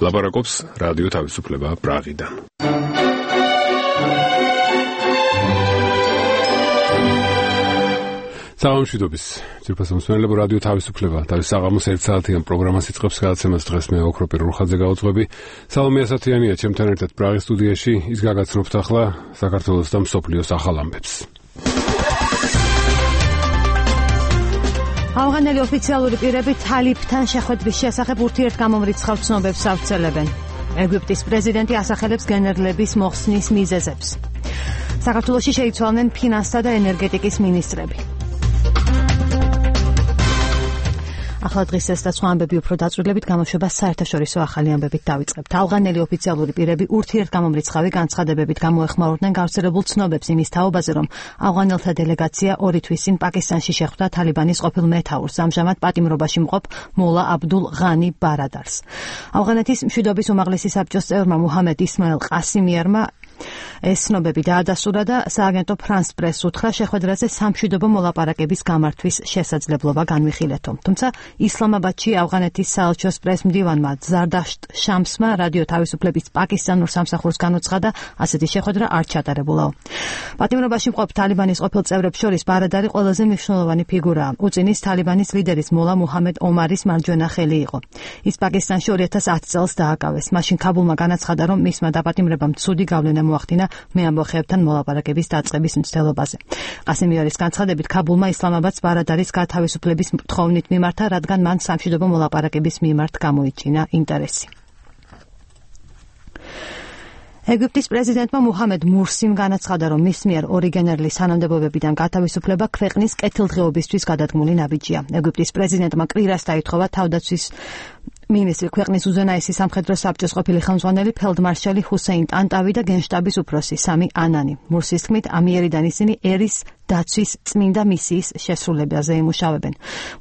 ლაპარაკობს რადიო თავისუფლება პრაღიდან. Საამშვიდობის ძირფასო მსმენელებო, რადიო თავისუფლება და საღამოს 1 საათიან პროგრამას იწყებს გადაცემას. დღეს მე ოქრო პირველხაძე გავუძღვები. სალომე ასათიანია ჩემთან ერთად პრაღის სტუდიაში. ის გაგაცნობთ ახლა საქართველოს და მსოფლიოს ახალ ამბებს. ავღანელი ოფიციალური პირები თალიბთან შეხვედრის შესახებ ურთიერთგამომრიცხავ ცნობებს ავრცელებენ. ეგვიპტის პრეზიდენტი ასახელებს გენერლების მოხსნის მიზეზებს. საქართველოში შეიცვალნენ ფინანსთა და ენერგეტიკის მინისტრები. ახლა დღისეს და სხვა ამბები უფრო დაწვრილებით გამოშვება საერთაშორისო ახალი ამბებით დავიწყებთ. ავღანელი ოფიციალური პირები ურთიერთგამომრიცხავი განცხადებებით გამოეხმაურნენ გავრცელებულ ცნობებს იმის თაობაზე, რომ ავღანელთა დელეგაცია 2 თვის წინ პაკისტანში შეხვდა თალიბანის ყოფილ მეთაურს, ამჟამად პატიმრობაში მყოფ მოლა აბდულ ღანი ბარადარს. ავღანეთის მშვიდობის უმაღლესი საბჭოს წევრმა მუჰამედ ისმაილ ყასიმიერმა ეს ცნობები დაადასტურა და სააგენტო ფრანს პრესს უთხრა შეხვედრაზე სამშვიდობო მოლაპარაკების გამართვის შესაძლებლობა განვიხილეთო. თუმცა ისლამაბადში ავღანეთის საელჩოს პრესმდივანმა ზარდაშტ შამსმა რადიო თავისუფლების პაკისტანურ სამსახურს განუცხადა, ასეთი შეხვედრა არ ჩატარებულაო. პატიმრობაში მყოფ თალიბანის ყოფილ წევრებს შორის ბარადარი ყველაზე მნიშვნელოვანი ფიგურაა. უწინის თალიბანის ლიდერის მოლა მუჰამედ ომარის მარჯვენა ხელი იყო. ის პაკისტანში 2010 წელს დააკავეს. მაშინ ქაბულმა განაცხადა, რომ მისმა დაპატიმრებამ ცუდი გავლენა მოახდინა მეამბოხეებთან მოლაპარაკების დაწყების მცდელობაზე. ყასიმიერის განცხადებით, ქაბულმა ისლამაბადს ბარადარის გათავისუფლების თხოვნით მიმართა, რადგან მან სამშვიდობო მოლაპარაკების მიმართ გამოიჩინა ინტერესი. ეგვიპტის პრეზიდენტმა მუჰამედ მურსიმ განაცხადა, რომ მის მიერ 2 გენერლის თანამდებობებიდან გათავისუფლება ქვეყნის კეთილდღეობისთვის გადადგმული ნაბიჯია. ეგვიპტის პრეზიდენტმა კვირას დაითხოვა თავდაცვის მინისტრი, ქვეყნის უზენაესი სამხედრო საბჭოს ყოფილი ხელმძღვანელი ფელდმარშალი ჰუსეინ ტანტავი და გენშტაბის უფროსი სამი ანანი. მურსის თქმით, ამიერიდან ისინი ერის დაცვის წმინდა მისიის შესრულებაზე იმუშავებენ.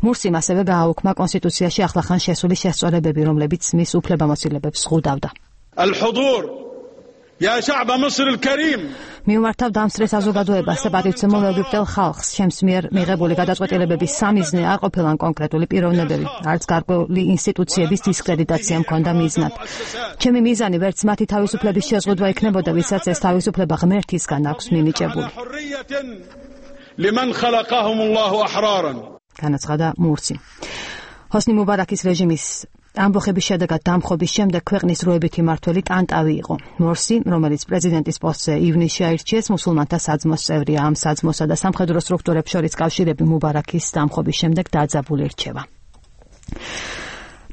მურსიმ ასევე გააუქმა კონსტიტუციაში ახლახან შესული შესწორებები, რომლებიც მის უფლებამოსილებებს ზღუდავდა. მიუმართავ დამსწრე საზოგადოებას და პატივცემულ ეგვიპტელ ხალხს. ჩემს მიერ მიღებული გადაწყვეტილებების სამიზნე არ ყოფილან კონკრეტული პიროვნებები, არც გარკვეული ინსტიტუციების დისკრედიტაცია მქონდა მიზნად. ჩემი მიზანი ვერც მათი თავისუფლების შეზღუდვა იქნებოდა, ვისაც ეს თავისუფლება ღმერთისგან აქვს მინიჭებული. განაცხადა მურსი. ჰოსნი მუბარაკის რეჟიმის ამბოხების შედეგად დამხობის შემდეგ ქვეყნის როებითი მმართველი ტანტავი იყო. მურსი, რომელიც პრეზიდენტის პოსტზე ივნისში აირჩიეს, მუსულმანთა საძმოს წევრია. ამ საძმოსა და სამხედრო სტრუქტურებს შორის კავშირები მუბარაკის დამხობის შემდეგ დაძაბული რჩება.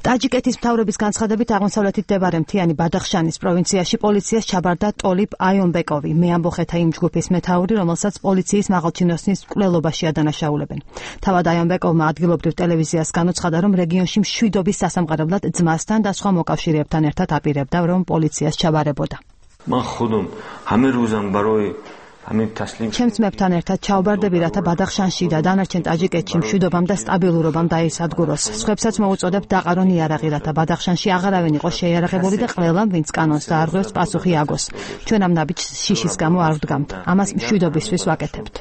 ტაჯიკეთის მთავრობის განცხადებით, აღმოსავლეთით მდებარე მთიანი ბადახშანის პროვინციაში პოლიციას ჩაბარდა ტოლიბ აიონბეკოვი, მეამბოხეთა იმ ჯგუფის მეთაური, რომელსაც პოლიციის მაღალჩინოსნის მკვლელობაში ადანაშაულებენ. თავად აიონბეკოვმა ადგილობრივ ტელევიზიას განუცხადა, რომ რეგიონში მშვიდობის სასამყარებლად ძმასთან და სხვა მოკავშირეებთან ერთად აპირებდა, რომ პოლიციას ჩაბარებოდა. ჩემს მეფთან ერთად ჩავბარდები, რათა ბადახშანში და დანარჩენ ტაჯიკეთში მშვიდობამ და სტაბილურობამ დაისადგუროს. სხვებსაც მოუწოდებთ დაყარონ იარაღი, რათა ბადახშანში აღარავინ იყოს შეიარაღებული და ყველამ, ვინც კანონს დაარღვევს, პასუხი აგოს. ჩვენ ამ ნაბიჯს შიშის გამო არ ვდგამთ. ამას მშვიდობისთვის ვაკეთებთ.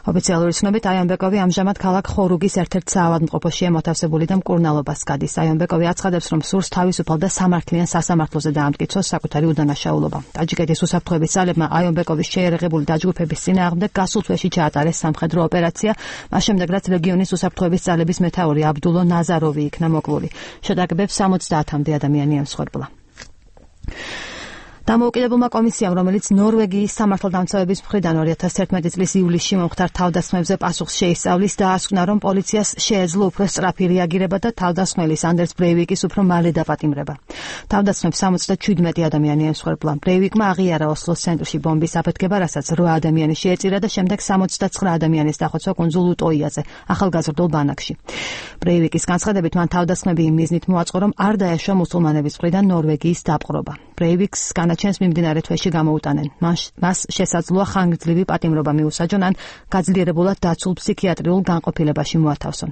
ოფიციალური ცნობით, აიონბეკოვი ამჟამად ქალაქ ხორუგის ერთ-ერთ საავადმყოფოში ემოთავსებული და მკურნალობას გადის. აიონბეკოვი აცხადებს, რომ სურს თავისუფალ და სამართლიან სასამართლოზე დაამტკიცოს საკუთარი უდანაშაულობა. ტაჯიკეთის უსაფრთხოების ძალებმა აიონბეკოვის შეიარაღებული დაჯგუფების წინააღმდეგ გასულ თვეში ჩაატარეს სამხედრო ოპერაცია, მას შემდეგ რაც რეგიონის უსაფრთხოების ძალების მეთაური აბდულო ნაზაროვი იქნა მოკლული. შეტაკებებს 70-მდე ადამიანი ემსხვერპლა. დამოუკიდებელმა კომისიამ, რომელიც ნორვეგიის სამართალდამცავების მხრიდან 2011 წლის ივლისში მომხდარ თავდასხმებზე პასუხს შეისწავლის, დაასკვნა, რომ პოლიციას შეეძლო უფრო სწრაფი რეაგირება და თავდასხმელის ანდერს ბრეივიკის უფრო მალე დაპატიმრება. თავდასხმებს 77 ადამიანი ემსხვერპლა. ბრეივიკმა აღიარა ოსლოს ცენტრში ბომბის აფეთქება, რასაც 8 ადამიანი შეეწირა და შემდეგ 69 ადამიანის დახოცვა კუნძულ უტოიაზე, ახალგაზრდულ ბანაკში. ბრეივიკის განცხადებით, მან თავდასხმები იმ მიზნით მოაწყო, რომ არ დაეშვა მუსულმანების მხრიდან ნორვეგიის დაპყრობა. ბრეივიკს განაჩენს მიმდინარე თვეში გამოუტანენ. მას შესაძლოა ხანგრძლივი პატიმრობა მიუსაჯონ ან გაძლიერებულად დაცულ ფსიქიატრიულ განყოფილებაში მოათავსონ.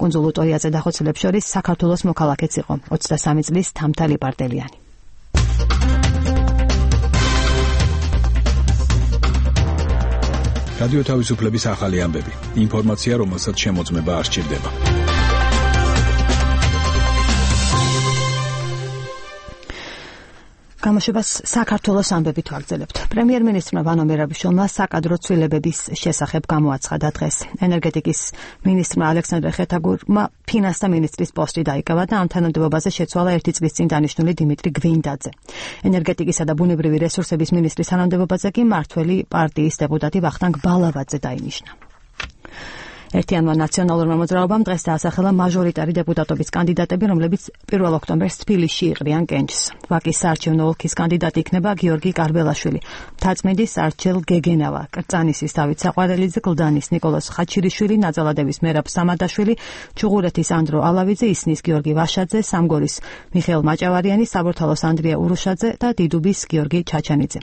კუნძულ უტოიაზე დახოცილებს შორის საქართველოს მოქალაქეც იყო 23 წლის თამთალი ბარდელიანი. რადიო თავისუფლების ახალი ამბები. ინფორმაცია, რომელსაც შემოწმება არ სჭირდება. გამოშვებას საქართველოს ამბებით ვაგრძელებთ. პრემიერ-მინისტრმა ვანო მერაბიშვილმა საკადრო ცვლილებების შესახებ გამოაცხადა დღეს. ენერგეტიკის მინისტრმა ალექსანდრე ხეთაგურმა ფინანსთა მინისტრის პოსტი დაიკავა და ამ თანამდებობაზე შეცვალა 1 წლის წინ დანიშნული დიმიტრი გვინდაძე. ენერგეტიკისა და ბუნებრივი რესურსების მინისტრის თანამდებობაზე კი მართველი პარტიის დეპუტატი ვახტანგ ბალავაძე დაინიშნა. ერთიანმა ნაციონალურმა მოძრაობამ დღეს დაასახელა მაჟორიტარი დეპუტატობის კანდიდატები, რომლებიც 1 ოქტომბერს თბილისში იყრიან კენჭს. ვაკის საარჩევნო ოლქის კანდიდატი იქნება გიორგი კარბელაშვილი, მთაწმინდის არჩილ გეგენავა, კრწანისის დავით საყვარელიძე, გლდანის ნიკოლოზ ხაჩირიშვილი, ნაძალადების მერაბ სამადაშვილი, ჩუღურეთის ანდრო ალავიძე, ისნის გიორგი ვაშაძე, სამგორის მიხეილ მაჭავარიანი, საბურთალოს ანდრია ურუშაძე და დიდუბის გიორგი ჩაჩანიძე.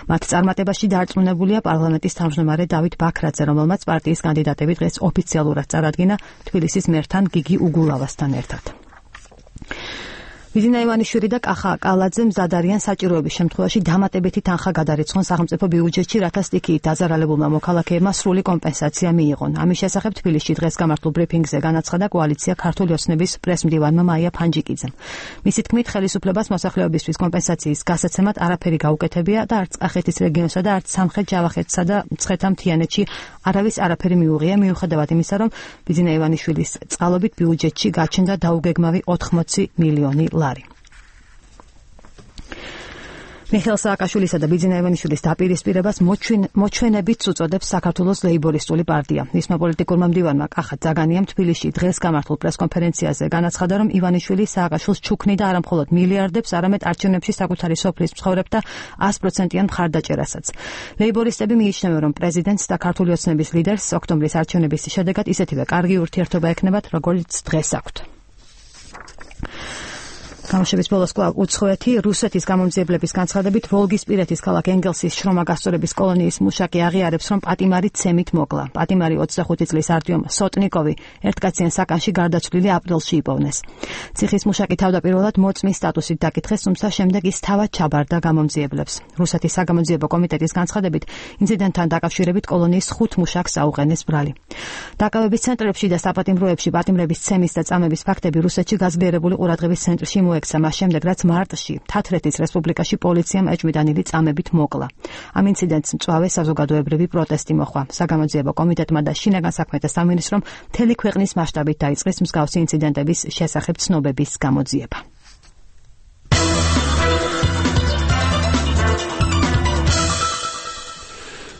მათ წარმატებაში დარწმუნებულია პარლამენტის თავმჯდომარე დავით ბაქრაძე, რომელმაც პარტიის კანდიდატები დღეს ოფიციალურად წარადგინა თბილისის მერთან გიგი უგულავასთან ერთად. ვიზინა ივანიშვილი და კახა კალაძე მზად არიან საჭიროების შემთხვევაში დამატებითი თანხა გადარიცხონ სახელმწიფო ბიუჯეტში, რათა სტიქიით დაზარალებულმა მოქალაქეებმა სრული კომპენსაცია მიიღონ. ამის შესახებ თბილისში დღეს გამართულ ბრიფინგზე განაცხადა კოალიცია ქართული ოცნების პრესმდივანმა მაია ფანჯიკიძემ. მისი თქმით, ხელისუფლებას მოსახლეობისთვის კომპენსაციის გასაცემად არაფერი გაუკეთებია და არც კახეთის რეგიონსა და არც სამხრეთ-ჯავახეთსა და მცხეთა-მთიანეთში არავის არაფერი მიუღია, მიუხედავად იმისა, რომ ვიზინა ივანიშვილის წყალობით ბიუჯეტში გაჩნდა დაუგეგმავი 80 მილიონი ლარი. მიხეილ სააკაშვილისა და ვიზინა ივანიშვილის დაპირისპირებას მოჩვენებით უწოდებს საქართველოს ლეიბორისტული პარტია. მისმა პოლიტიკურმა მდივანმა კახა ძაგანიამ თბილისში დღეს გამართულ პრესკონფერენციაზე განაცხადა, რომ ივანიშვილი სააკაშვილს ჩუქნიდა არა მხოლოდ მილიარდებს, არამედ არჩევნებში საკუთარი სოფლის მცხოვრებთა 100%-იან მხარდაჭერასაც. ლეიბორისტები მიიჩნევენ, რომ პრეზიდენტს და ქართული ოცნების ლიდერს ოქტომბრის არჩევნების შედეგად ისეთივე კარგი ურთიერთობა ექნებათ, როგორც დღეს აქვთ. გამოშვების ბოლოს კვლავ უცხოეთი რუსეთის გამომძიებლების განცხადებით ვოლგისპირეთის ქალაქ ენგელსის შრომა გასწორების კოლონიის მუშაკი აღიარებს, რომ პატიმარი ცემით მოკლა. პატიმარი 25 წლის არტიომ სოტნიკოვი ერთკაციან საკანში გარდაცვლილი აპრილში იპოვნეს. ციხის მუშაკი თავდაპირველად მოწმის სტატუსით დაკითხეს, თუმცა შემდეგ ის თავად ჩაბარდა გამომძიებლებს. რუსეთის საგამოძიებო კომიტეტის განცხადებით, ინციდენტთან დაკავშირებით კოლონიის 5 მუშაკს აუყენეს ბრალი. დაკავების ცენტრებში და საპატიმროებში პატიმრების ცემის და წამების ფაქტები რუსეთში გაძლიერებული ყურადღების ცენტრში მოექცა მას შემდეგ, რაც მარტში თათრეთის რესპუბლიკაში პოლიციამ ეჭვმიტანილი წამებით მოკლა. ამ ინციდენტს მწვავე საზოგადოებრივი პროტესტი მოჰყვა. საგამოძიებო კომიტეტმა და შინაგან საქმეთა სამინისტრომ მთელი ქვეყნის მასშტაბით დაიწყეს მსგავსი ინციდენტების შესახებ ცნობების გამოძიება.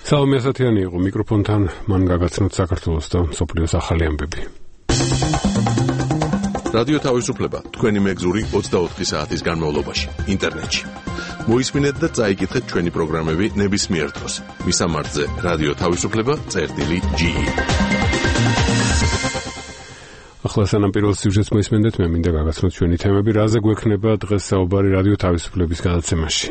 სალომე ასათიანი იყო მიკროფონთან, მან გაგაცნოთ საქართველოს და მსოფლიოს ახალი ამბები. რადიო თავისუფლება თქვენი მეგზური 24 საათის განმავლობაში ინტერნეტში. მოისმინეთ და წაიკითხეთ ჩვენი პროგრამები ნებისმიერ დროს. მისამართზე რადიო თავისუფლება.ge. ახლა სანამ პირველ სიუჟეტს მოისმენდეთ, მე მინდა გაგაცნოთ ჩვენი თემები, რაზე გვექნება დღეს საუბარი რადიო თავისუფლების გადაცემაში.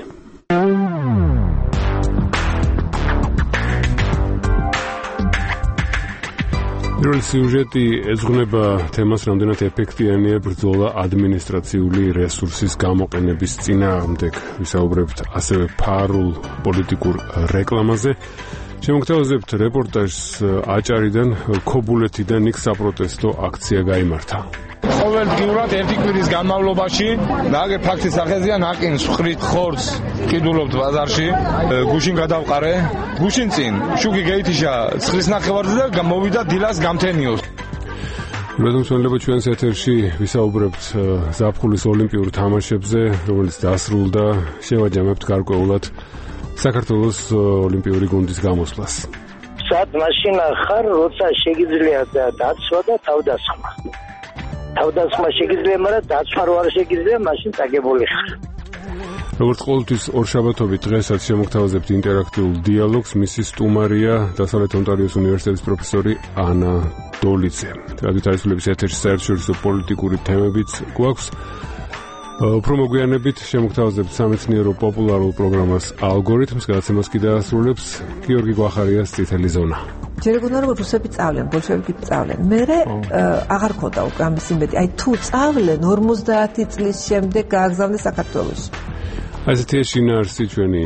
პირველი სიუჟეტი ეძღვნება თემას, რამდენად ეფექტიანია ბრძოლა ადმინისტრაციული რესურსის გამოყენების წინააღმდეგ. ვისაუბრებთ ასევე ფარულ პოლიტიკურ რეკლამაზე. შემოგთავაზებთ რეპორტაჟს აჭარიდან, ქობულეთიდან იქ საპროტესტო აქცია გაიმართა. ყოველდღიურად ერთი კვირის განმავლობაში ნაგე ფაქტის სახეზია ნაკინს ხრით ხორცს ყიდულობთ ბაზარში, გუშინ გადავყარე, გუშინ წინ შუქი გეითიშა ცხლის ნახევარზე და მოვიდა დილას გამთენიოს. მედმსვენლებო, ჩვენს ეთერში ვისაუბრებთ ზაფხულის ოლიმპიურ თამაშებზე, რომელიც დასრულდა. შევაჯამებთ გარკვეულად საქართველოს ოლიმპიური გუნდის გამოსვლას. სად მაშინა ხარ, როცა შეგიძლია დაცვა და თავდასხმა. თავდასხმა შეგიძლია, მაგრამ დაცვა რო არ შეგიძლია, მაშინ წაგებული ხარ. როგორც ყოველთვის ორშაბათობით დღესაც შემოგთავაზებთ ინტერაქტიულ დიალოგს. მისი სტუმარია დასავლეთ ონტარიოს უნივერსიტეტის პროფესორი ანა დოლიძე. რადიო თავისუფლების ეთერში საერთაშორისო პოლიტიკური თემებიც გვაქვს. უფრო მოგვიანებით შემოგთავაზებთ სამეცნიერო პოპულარულ პროგრამას ალგორითმს, გადაცემას კი დაასრულებს გიორგი გვახარიას წითელი ზონა. ჯერ გქონდა რომ რუსები წავლენ, ბოლშევიკები წავლენ. მერე აღარ ქონდა უკვე ამის იმედი. აი თუ წავლენ 50 წლის შემდეგ გააგზავნეს საქართველოში. აი ესეთი შინაარსი ჩვენი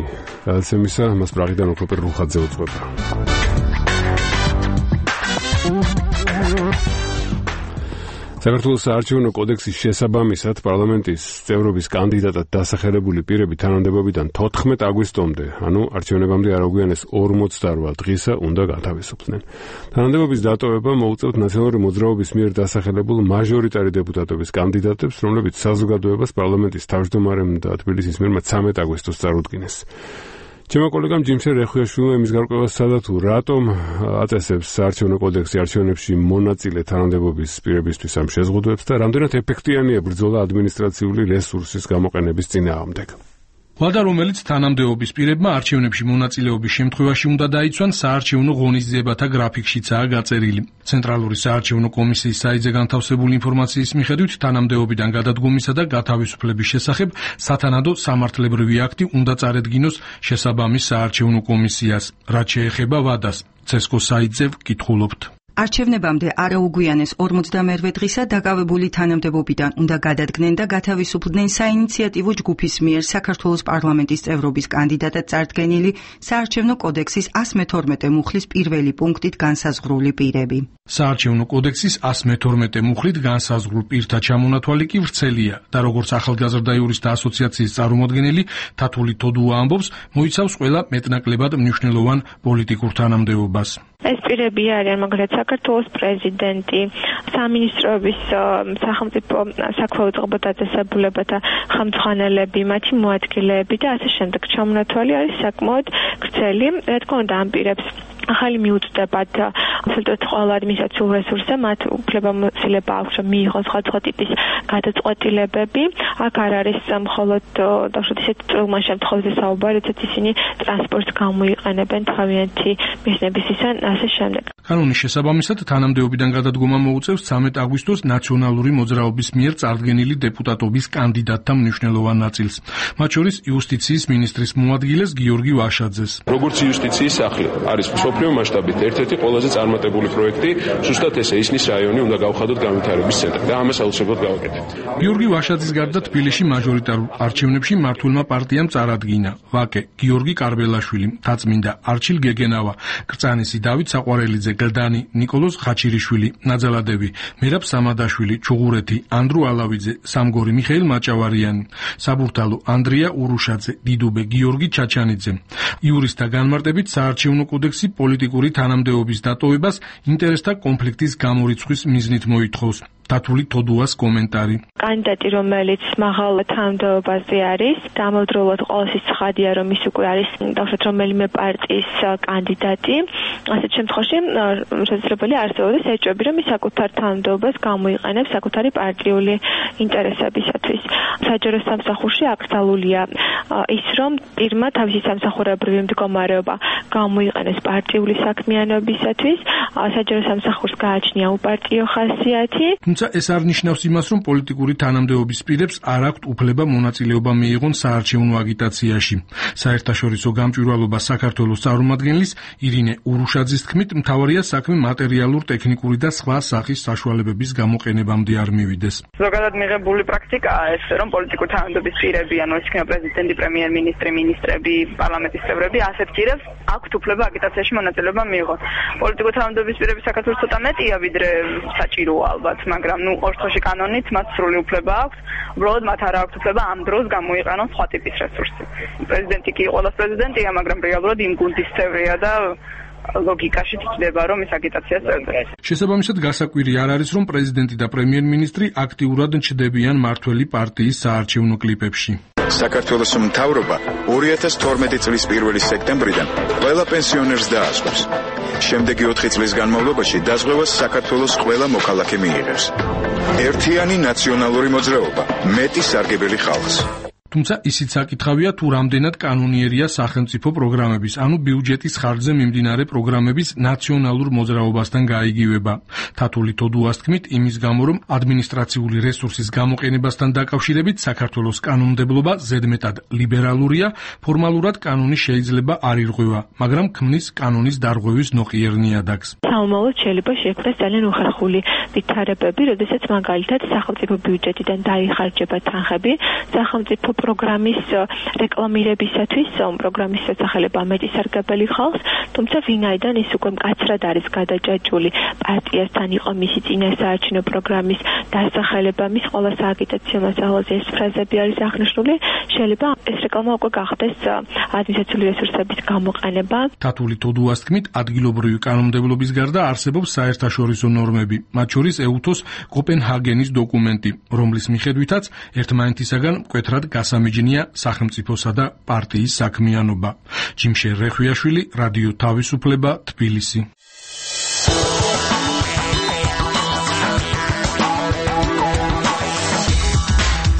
გადაცემისა, მას პრაღიდან ოქრო პერლუხაძე უძღვება. საქართველოს საარჩევნო კოდექსის შესაბამისად პარლამენტის წევრობის კანდიდატად დასახელებული პირები თანამდებობიდან 14 აგვისტომდე, ანუ არჩევნებამდე არ აგვიანეს 48 დღისა უნდა გათავისუფლდნენ. თანამდებობის დატოვება მოუწევთ ნაციონალური მოძრაობის მიერ დასახელებულ მაჟორიტარი დეპუტატობის კანდიდატებს, რომლებიც საზოგადოებას პარლამენტის თავმჯდომარემ და თბილისის მერმა 13 აგვისტოს წარუდგინეს. ჩემო კოლეგამ ჯიმშე რეხუიაშვილმა იმის გარკვევას სცადა თუ რატომ აწესებს საარჩევნო კოდექსი არჩევნებში მონაწილე თანამდებობის პირებისთვის ამ შეზღუდვებს და რამდენად ეფექტიანია ბრძოლა ადმინისტრაციული რესურსის გამოყენების წინააღმდეგ. ვადა რომელიც თანამდებობის პირებმა არჩევნებში მონაწილეობის შემთხვევაში უნდა დაიცვან საარჩევნო ღონისძიებათა გრაფიკშიცაა გაწერილი. ცენტრალური საარჩევნო კომისიის საიტზე განთავსებული ინფორმაციის მიხედვით თანამდებობიდან გადადგომისა და გათავისუფლების შესახებ სათანადო სამართლებრივი აქტი უნდა წარედგინოს შესაბამის საარჩევნო კომისიას. რაც შეეხება ვადას, CESCO საიტზე ვკითხულობთ. არჩევნებამდე არაუგვიანეს 42 დღისა დაკავებული თანამდებობიდან უნდა გადადგნენ და გათავისუფლდნენ საინიციატივო ჯგუფის მიერ საქართველოს პარლამენტის წევრობის კანდიდატად წარდგენილი საარჩევნო კოდექსის 112 მუხლის პირველი პუნქტით განსაზღვრული პირები. საარჩევნო კოდექსის 112 მუხლით განსაზღვრულ პირთა ჩამონათვალი კი ვრცელია და როგორც ახალგაზრდა იურისტთა ასოციაციის წარმომადგენელი თათული თოდუა ამბობს, მოიცავს ყველა მეტნაკლებად მნიშვნელოვან პოლიტიკურ თანამდებობას. ეს პირები არიან მაგალითად საქართველოს პრეზიდენტი, სამინისტროების სახელმწიფო საქმეო წყობა დაწესებულებათა ხელმძღვანელები, მათი მოადგილეები და ასე შემდეგ. ჩამონათვალი არის საკმაოდ ვრცელი, რა თქმა უნდა ამ პირებს ახალი მიუწვდებათ absolutely ყველა ადმინისტრაციულ რესურსზე მათ უფლებამოსილება აქვს რომ მიიღონ სხვადასხვა ტიპის გადაწყვეტილებები. აქ არ არის მხოლოდ დავუშვათ ისეთ წვრილმა შემთხვევაში საუბარი, როდესაც ისინი ტრანსპორტს გამოიყენებენ თავიანთი მიზნებისგან ასე შემდეგ. კანონის შესაბამისად თანამდებობიდან გადადგომა მოუწევს 13 აგვისტოს ნაციონალური მოძრაობის მიერ წარდგენილი დეპუტატობის კანდიდატთა მნიშვნელოვან ნაწილს. მათ შორის იუსტიციის მინისტრის მოადგილეს გიორგი ვაშაძეს. როგორც იუსტიციის სახლი არის მსოფლიო მასშტაბით ერთ-ერთი ყველაზე წარმატებული პროექტი, ზუსტად ესე ისნის რაიონი უნდა გავხადოთ განვითარების ცენტრი და ამას აუცილებლად გავაკეთებთ. გიორგი ვაშაძის გარდა თბილისში მაჟორიტარულ არჩევნებში მართულმა პარტიამ წარადგინა ვაკე გიორგი კარბელაშვილი, თაწმინდა არჩილ გეგენავა, კრწანისი დავით საყვარელიძე, გლდანი ნიკოლოზ ხაჩირიშვილი, ნაძალადები მერაბ სამადაშვილი, ჩუღურეთი ანდრუ ალავიძე, სამგორი მიხეილ მაჭავარიანი, საბურთალო ანდრია ურუშაძე, დიდუბე გიორგი ჩაჩანიძე. იურისტთა განმარტებით საარჩევნო კოდექსი პოლიტიკური თანამდებობის დატოვებას ინტერესთა კონფლიქტის გამორიცხვის მიზნით მოითხოვს. თათული თოდუას კომენტარი. კანდიდატი რომელიც მაღალ თანამდებობაზე არის, დამოუკიდებლად ყოველთვის ცხადია რომ ის უკვე არის დავუშვათ რომელიმე პარტიის კანდიდატი. ასეთ შემთხვევაში შესაძლებელია არსებობდეს ეჭვები რომ ის საკუთარ თანამდებობას გამოიყენებს საკუთარი პარტიული ინტერესებისათვის. საჯარო სამსახურში აკრძალულია ის რომ პირმა თავისი სამსახურებრივი მდგომარეობა გამოიყენოს პარტიული საქმიანობისათვის, საჯარო სამსახურს გააჩნია უპარტიო ხასიათი. ეს არ ნიშნავს იმას, რომ პოლიტიკური თანამდებობის პირებს არ აქვთ უფლება მონაწილეობა მიიღონ საარჩევნო აგიტაციაში. საერთაშორისო გამჭვირვალობა საქართველოს წარმომადგენლის ირინე ურუშაძის თქმით, მთავარია საქმე მატერიალურ, ტექნიკური და სხვა სახის საშუალებების გამოყენებამდე არ მივიდეს. ზოგადად მიღებული პრაქტიკაა ეს, რომ პოლიტიკური თანამდებობის პირები, ანუ ეს იქნება პრეზიდენტი, პრემიერ-მინისტრი, მინისტრები, პარლამენტის წევრები, ასეთ პირებს აქვთ უფლება აგიტაციაში მონაწილეობა მიიღონ. პოლიტიკური თანამდებობის პირები საქართველოს ცოტა მეტია, ვიდრე საჭიროა ალბათ, მაგრამ ორ დღეში კანონით მათ სრული უფლება აქვს. უბრალოდ მათ არ აქვს უფლება ამ დროს გამოიყენონ სხვა ტიპის რესურსი. პრეზიდენტი კი ყოველას პრეზიდენტია, მაგრამ რეალურად იმ გუნდის წევრია და ლოგიკაში ცდება რომ ეს აგიტაციას წერდეს. შესაბამისად გასაკვირი არ არის რომ პრეზიდენტი და პრემიერ-მინისტრი აქტიურად ჩნდებიან მართველი პარტიის საარჩევნო კლიპებში. საქართველოს მთავრობა 2012 წლის 1 სექტემბრიდან ყველა პენსიონერს დაასკვნის. შემდეგი 4 წლის განმავლობაში დაზღვევას საქართველოს ყველა მოქალაქე მიიღებს. ერთიანი ნაციონალური მოძრაობა, მეტი სარგებელი ხალხს. თუმცა ისიც საკითხავია თუ რამდენად კანონიერია სახელმწიფო პროგრამების, ანუ ბიუჯეტის ხარჯზე მიმდინარე პროგრამების ნაციონალურ მოძრაობასთან გაიგივება. თათული თოდუას თქმით, იმის გამო რომ ადმინისტრაციული რესურსის გამოყენებასთან დაკავშირებით საქართველოს კანონმდებლობა ზედმეტად ლიბერალურია, ფორმალურად კანონი შეიძლება არ ირღვევა, მაგრამ ქმნის კანონის დარღვევის ნოყიერ ნიადაგს. საომალოდ შეიძლება შექმნას ძალიან უხერხული ვითარებები, როდესაც მაგალითად სახელმწიფო ბიუჯეტიდან დაიხარჯება თანხები, სახელმწიფო პროგრამის რეკლამირებისათვის პროგრამის შესახება მეტისარგებელი ხალხს, თუმცა ვინაიდან ის უკვე მკაცრად არის გადაჭაჭული პარტიასთან იყო მისი წინასაარჩევნო პროგრამის დასახელება, მის ყველა სააგიტაციო მასალაზე ეს ფრაზები არის აღნიშნული, შეიძლება ეს რეკლამა უკვე გახდეს ადმინისტრაციული რესურსების გამოყენება. თათული თოდუას თქმით, ადგილობრივი კანონმდებლობის გარდა არსებობს საერთაშორისო ნორმები, მათ შორის ეუთოს კოპენჰაგენის დოკუმენტი, რომლის მიხედვითაც ერთმანეთისაგან მკვეთრად გასამიჯნია სახელმწიფოსა და პარტიის საქმიანობა. ჯიმშე რეხვიაშვილი, რადიო თავისუფლება, თბილისი.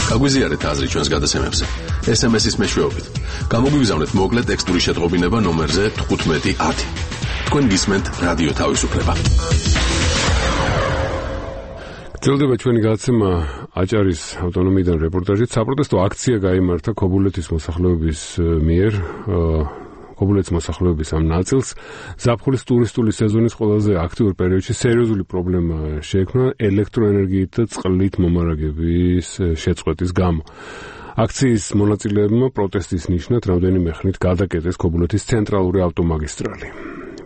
გაგვიზიარეთ აზრი ჩვენს გადაცემებზე. SMS-ის მეშვეობით. გამოგვიგზავნეთ მოკლე ტექსტური შეტყობინება ნომერზე 1510. თქვენ გისმენთ რადიო თავისუფლება. გრძელდება ჩვენი გადაცემა აჭარის ავტონომიიდან რეპორტაჟით. საპროტესტო აქცია გაიმართა ქობულეთის მოსახლეობის მიერ. ქობულეთის მოსახლეობის ამ ნაწილს ზაფხულის ტურისტული სეზონის ყველაზე აქტიურ პერიოდში სერიოზული პრობლემა შეექმნა ელექტროენერგიით და წყლით მომარაგების შეწყვეტის გამო. აქციის მონაწილეებმა პროტესტის ნიშნად რამდენიმე ხნით გადაკეტეს ქობულეთის ცენტრალური ავტომაგისტრალი.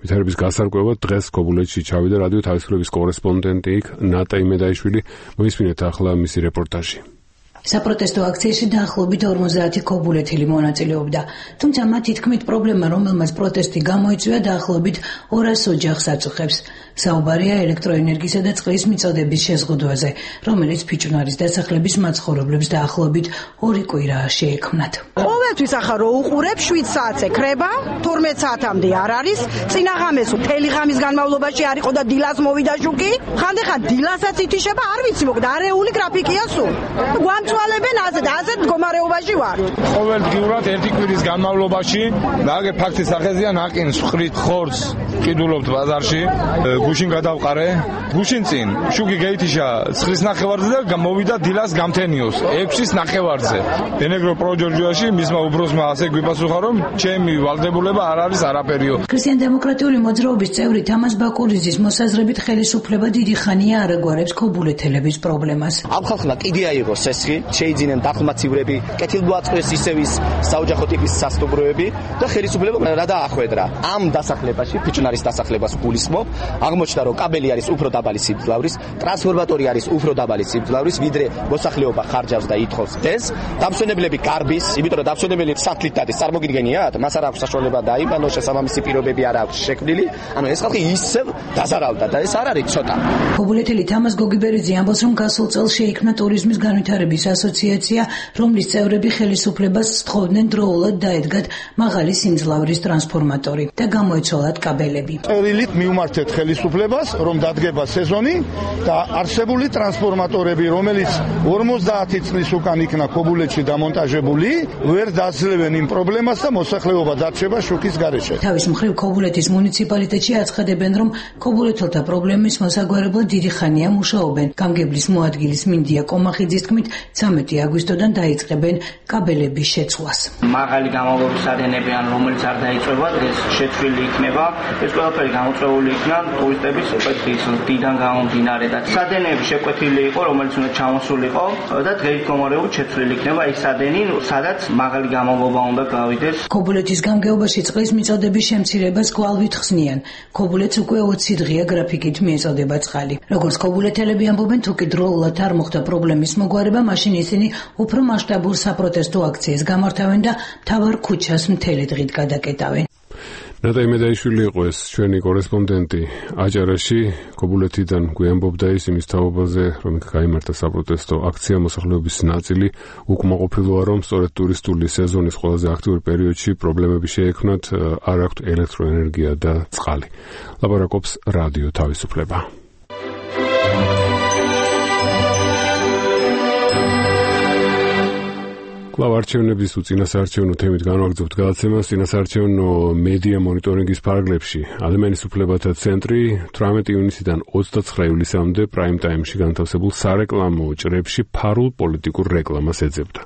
ვითარების გასარკვევად დღეს ქობულეთში ჩავიდა რადიო თავისუფლების კორესპონდენტი ნატა იმედაიშვილი. მოისმინეთ ახლა მისი რეპორტაჟი. საპროტესტო აქციაში დაახლოებით 50 ქობულეთელი მონაწილეობდა. თუმცა მათი თქმით პრობლემა, რომელმაც პროტესტი გამოიწვია, დაახლოებით 200 ოჯახს აწუხებს. საუბარია ელექტროენერგიისა და წყლის მიწოდების შეზღუდვაზე, რომელიც ფიჭვნარის დასახლების მაცხოვრებლებს დაახლოებით 2 კვირაა შეექმნათ. ყოველთვის ახლა რო უყურებ 7 საათზე ქრება, 12 საათამდე არ არის. წინაღამეს მთელი ღამის განმავლობაში არ იყო და დილას მოვიდა შუქი. ხანდახან დილასაც ითიშება, არ ვიცი, მოკლედ არეული გრაფიკია სულ. გვამწვალებენ ასეთ მდგომარეობაში ვარ. ყოველდღიურად ერთი კვირის განმავლობაში ნაგე ფაქტის სახეზია ნაკინს ვხრით ხორცს ყიდულობთ ბაზარში. გუშინ გადავყარე, გუშინ წინ შუქი გაითიშა 9-ის ნახევარზე და მოვიდა დილას გამთენიოს 6-ის ნახევარზე. ენეგრო პროჯორჯიაში მისმა უბროსმა ასე გვიპასუხა, რომ ჩემი ვალდებულება არ არის არაფერიო. ქრისტიან-დემოკრატიული მოძრაობის წევრი თამას ბაკურიძის მოსაზრებით ხელისუფლება დიდი ხანია არ აგვარებს ქობულეთელების პრობლემას. ამ ხალხმა კიდე აიღო სესხი, შეიძინენ დახმაცივრები, კეთილმოაწყვეს ისევის საოჯახო ტიპის სასტუმროები და ხელისუფლება რა დაახვედრა. ამ დასახლებაში, ფიჭვნარის დასახლებას გულისხმობ, აღმოჩნდა, რომ კაბელი არის უფრო დაბალი სიმძლავრის, ტრანსფორმატორი არის უფრო დაბალი სიმძლავრის, ვიდრე მოსახლეობა ხარჯავს და ითხოვს ეს. დამსვენებლები გარბის, იმიტომ რომ დამსვენებელი სათლით დადის, წარმოგიდგენიათ, მას არ აქვს საშუალება დაიბანოს, შესაბამისი პირობები არ აქვს შექმნილი. ანუ ეს ხალხი ისევ დაზარავდა და ეს არ არის ცოტა. ქობულეთელი თამას გოგიბერიძე ამბობს, რომ გასულ წელს შეიქმნა ტურიზმის განვითარების ასოციაცია, რომლის წევრები ხელისუფლებას სთხოვდნენ დროულად დაედგათ მაღალი სიმძლავრის ტრანსფორმატორი და გამოეცვალათ კაბელები. წერილით მივმართეთ ხელისუფლებას, რომ დადგება სეზონი და არსებული ტრანსფორმატორები, რომელიც 50 წლის უკან იქნა ქობულეთში დამონტაჟებული, ვერ დაძლევენ იმ პრობლემას და მოსახლეობა დარჩება შუქის გარეშე. თავის მხრივ ქობულეთის მუნიციპალიტეტში აცხადებენ, რომ ქობულეთელთა პრობლემის მოსაგვარებლად დიდი ხანია მუშაობენ. გამგებლის მოადგილის მინდია კომახიძის თქმით, 13 აგვისტოდან დაიწყებენ კაბელების შეცვლას. მაღალი გამავლობის სადენები, ან რომელიც არ დაიწვება, ეს შეცვლილი იქნება. ეს ყველაფერი გამოწვეული იქნა ტურისტების ოპერაციის დიდან გამომდინარე და სადენები შეკვეთილი იყო, რომელიც უნდა ჩამოსულიყო და დღეის მდგომარეობით შეცვლილი იქნება ის სადენი, სადაც მაღალი გამავლობა უნდა გავიდეს. ქობულეთის გამგეობაში წყლის მიწოდების შემცირებას კვალვით ხსნიან. ქობულეთს უკვე 20 დღეა გრაფიკით მიეწოდება წყალი. როგორც ქობულეთელები ამბობენ, თუ კი დროულად არ მოხდა პრობლემის მოგვარება, მაშინ ისინი უფრო მასშტაბურ საპროტესტო აქციას გამართავენ და მთავარ ქუჩას მთელი დღით გადაკეტავენ. ნატა იმედაიშვილი იყო ეს ჩვენი კორესპონდენტი აჭარაში. ქობულეთიდან გვიამბობდა ის იმის თაობაზე, რომ გაიმართა საპროტესტო აქცია. მოსახლეობის ნაწილი უკმაყოფილოა, რომ სწორედ ტურისტული სეზონის ყველაზე აქტიურ პერიოდში პრობლემები შეექმნათ, არ აქვთ ელექტროენერგია და წყალი. ლაპარაკობს რადიო თავისუფლება. კვლავ არჩევნების უწინასაარჩევნო თემით განვაგრძობთ გადაცემას. წინასაარჩევნო მედია მონიტორინგის ფარგლებში ადამიანის უფლებათა ცენტრი 18 ივნისიდან 29 ივლისამდე პრაიმ ტაიმში განთავსებულ სარეკლამო ჭრებში ფარულ პოლიტიკურ რეკლამას ეძებდა.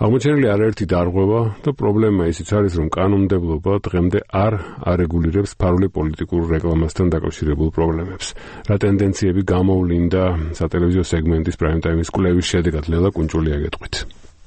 აღმოჩენილი არაერთი დარღვევა და პრობლემა ისიც არის, რომ კანონმდებლობა დღემდე არ არეგულირებს ფარული პოლიტიკურ რეკლამასთან დაკავშირებულ პრობლემებს. რა ტენდენციები გამოვლინდა სატელევიზიო სეგმენტის პრაიმ ტაიმის კვლევის შედეგად, ლელა კუნჭული აგეტყვით.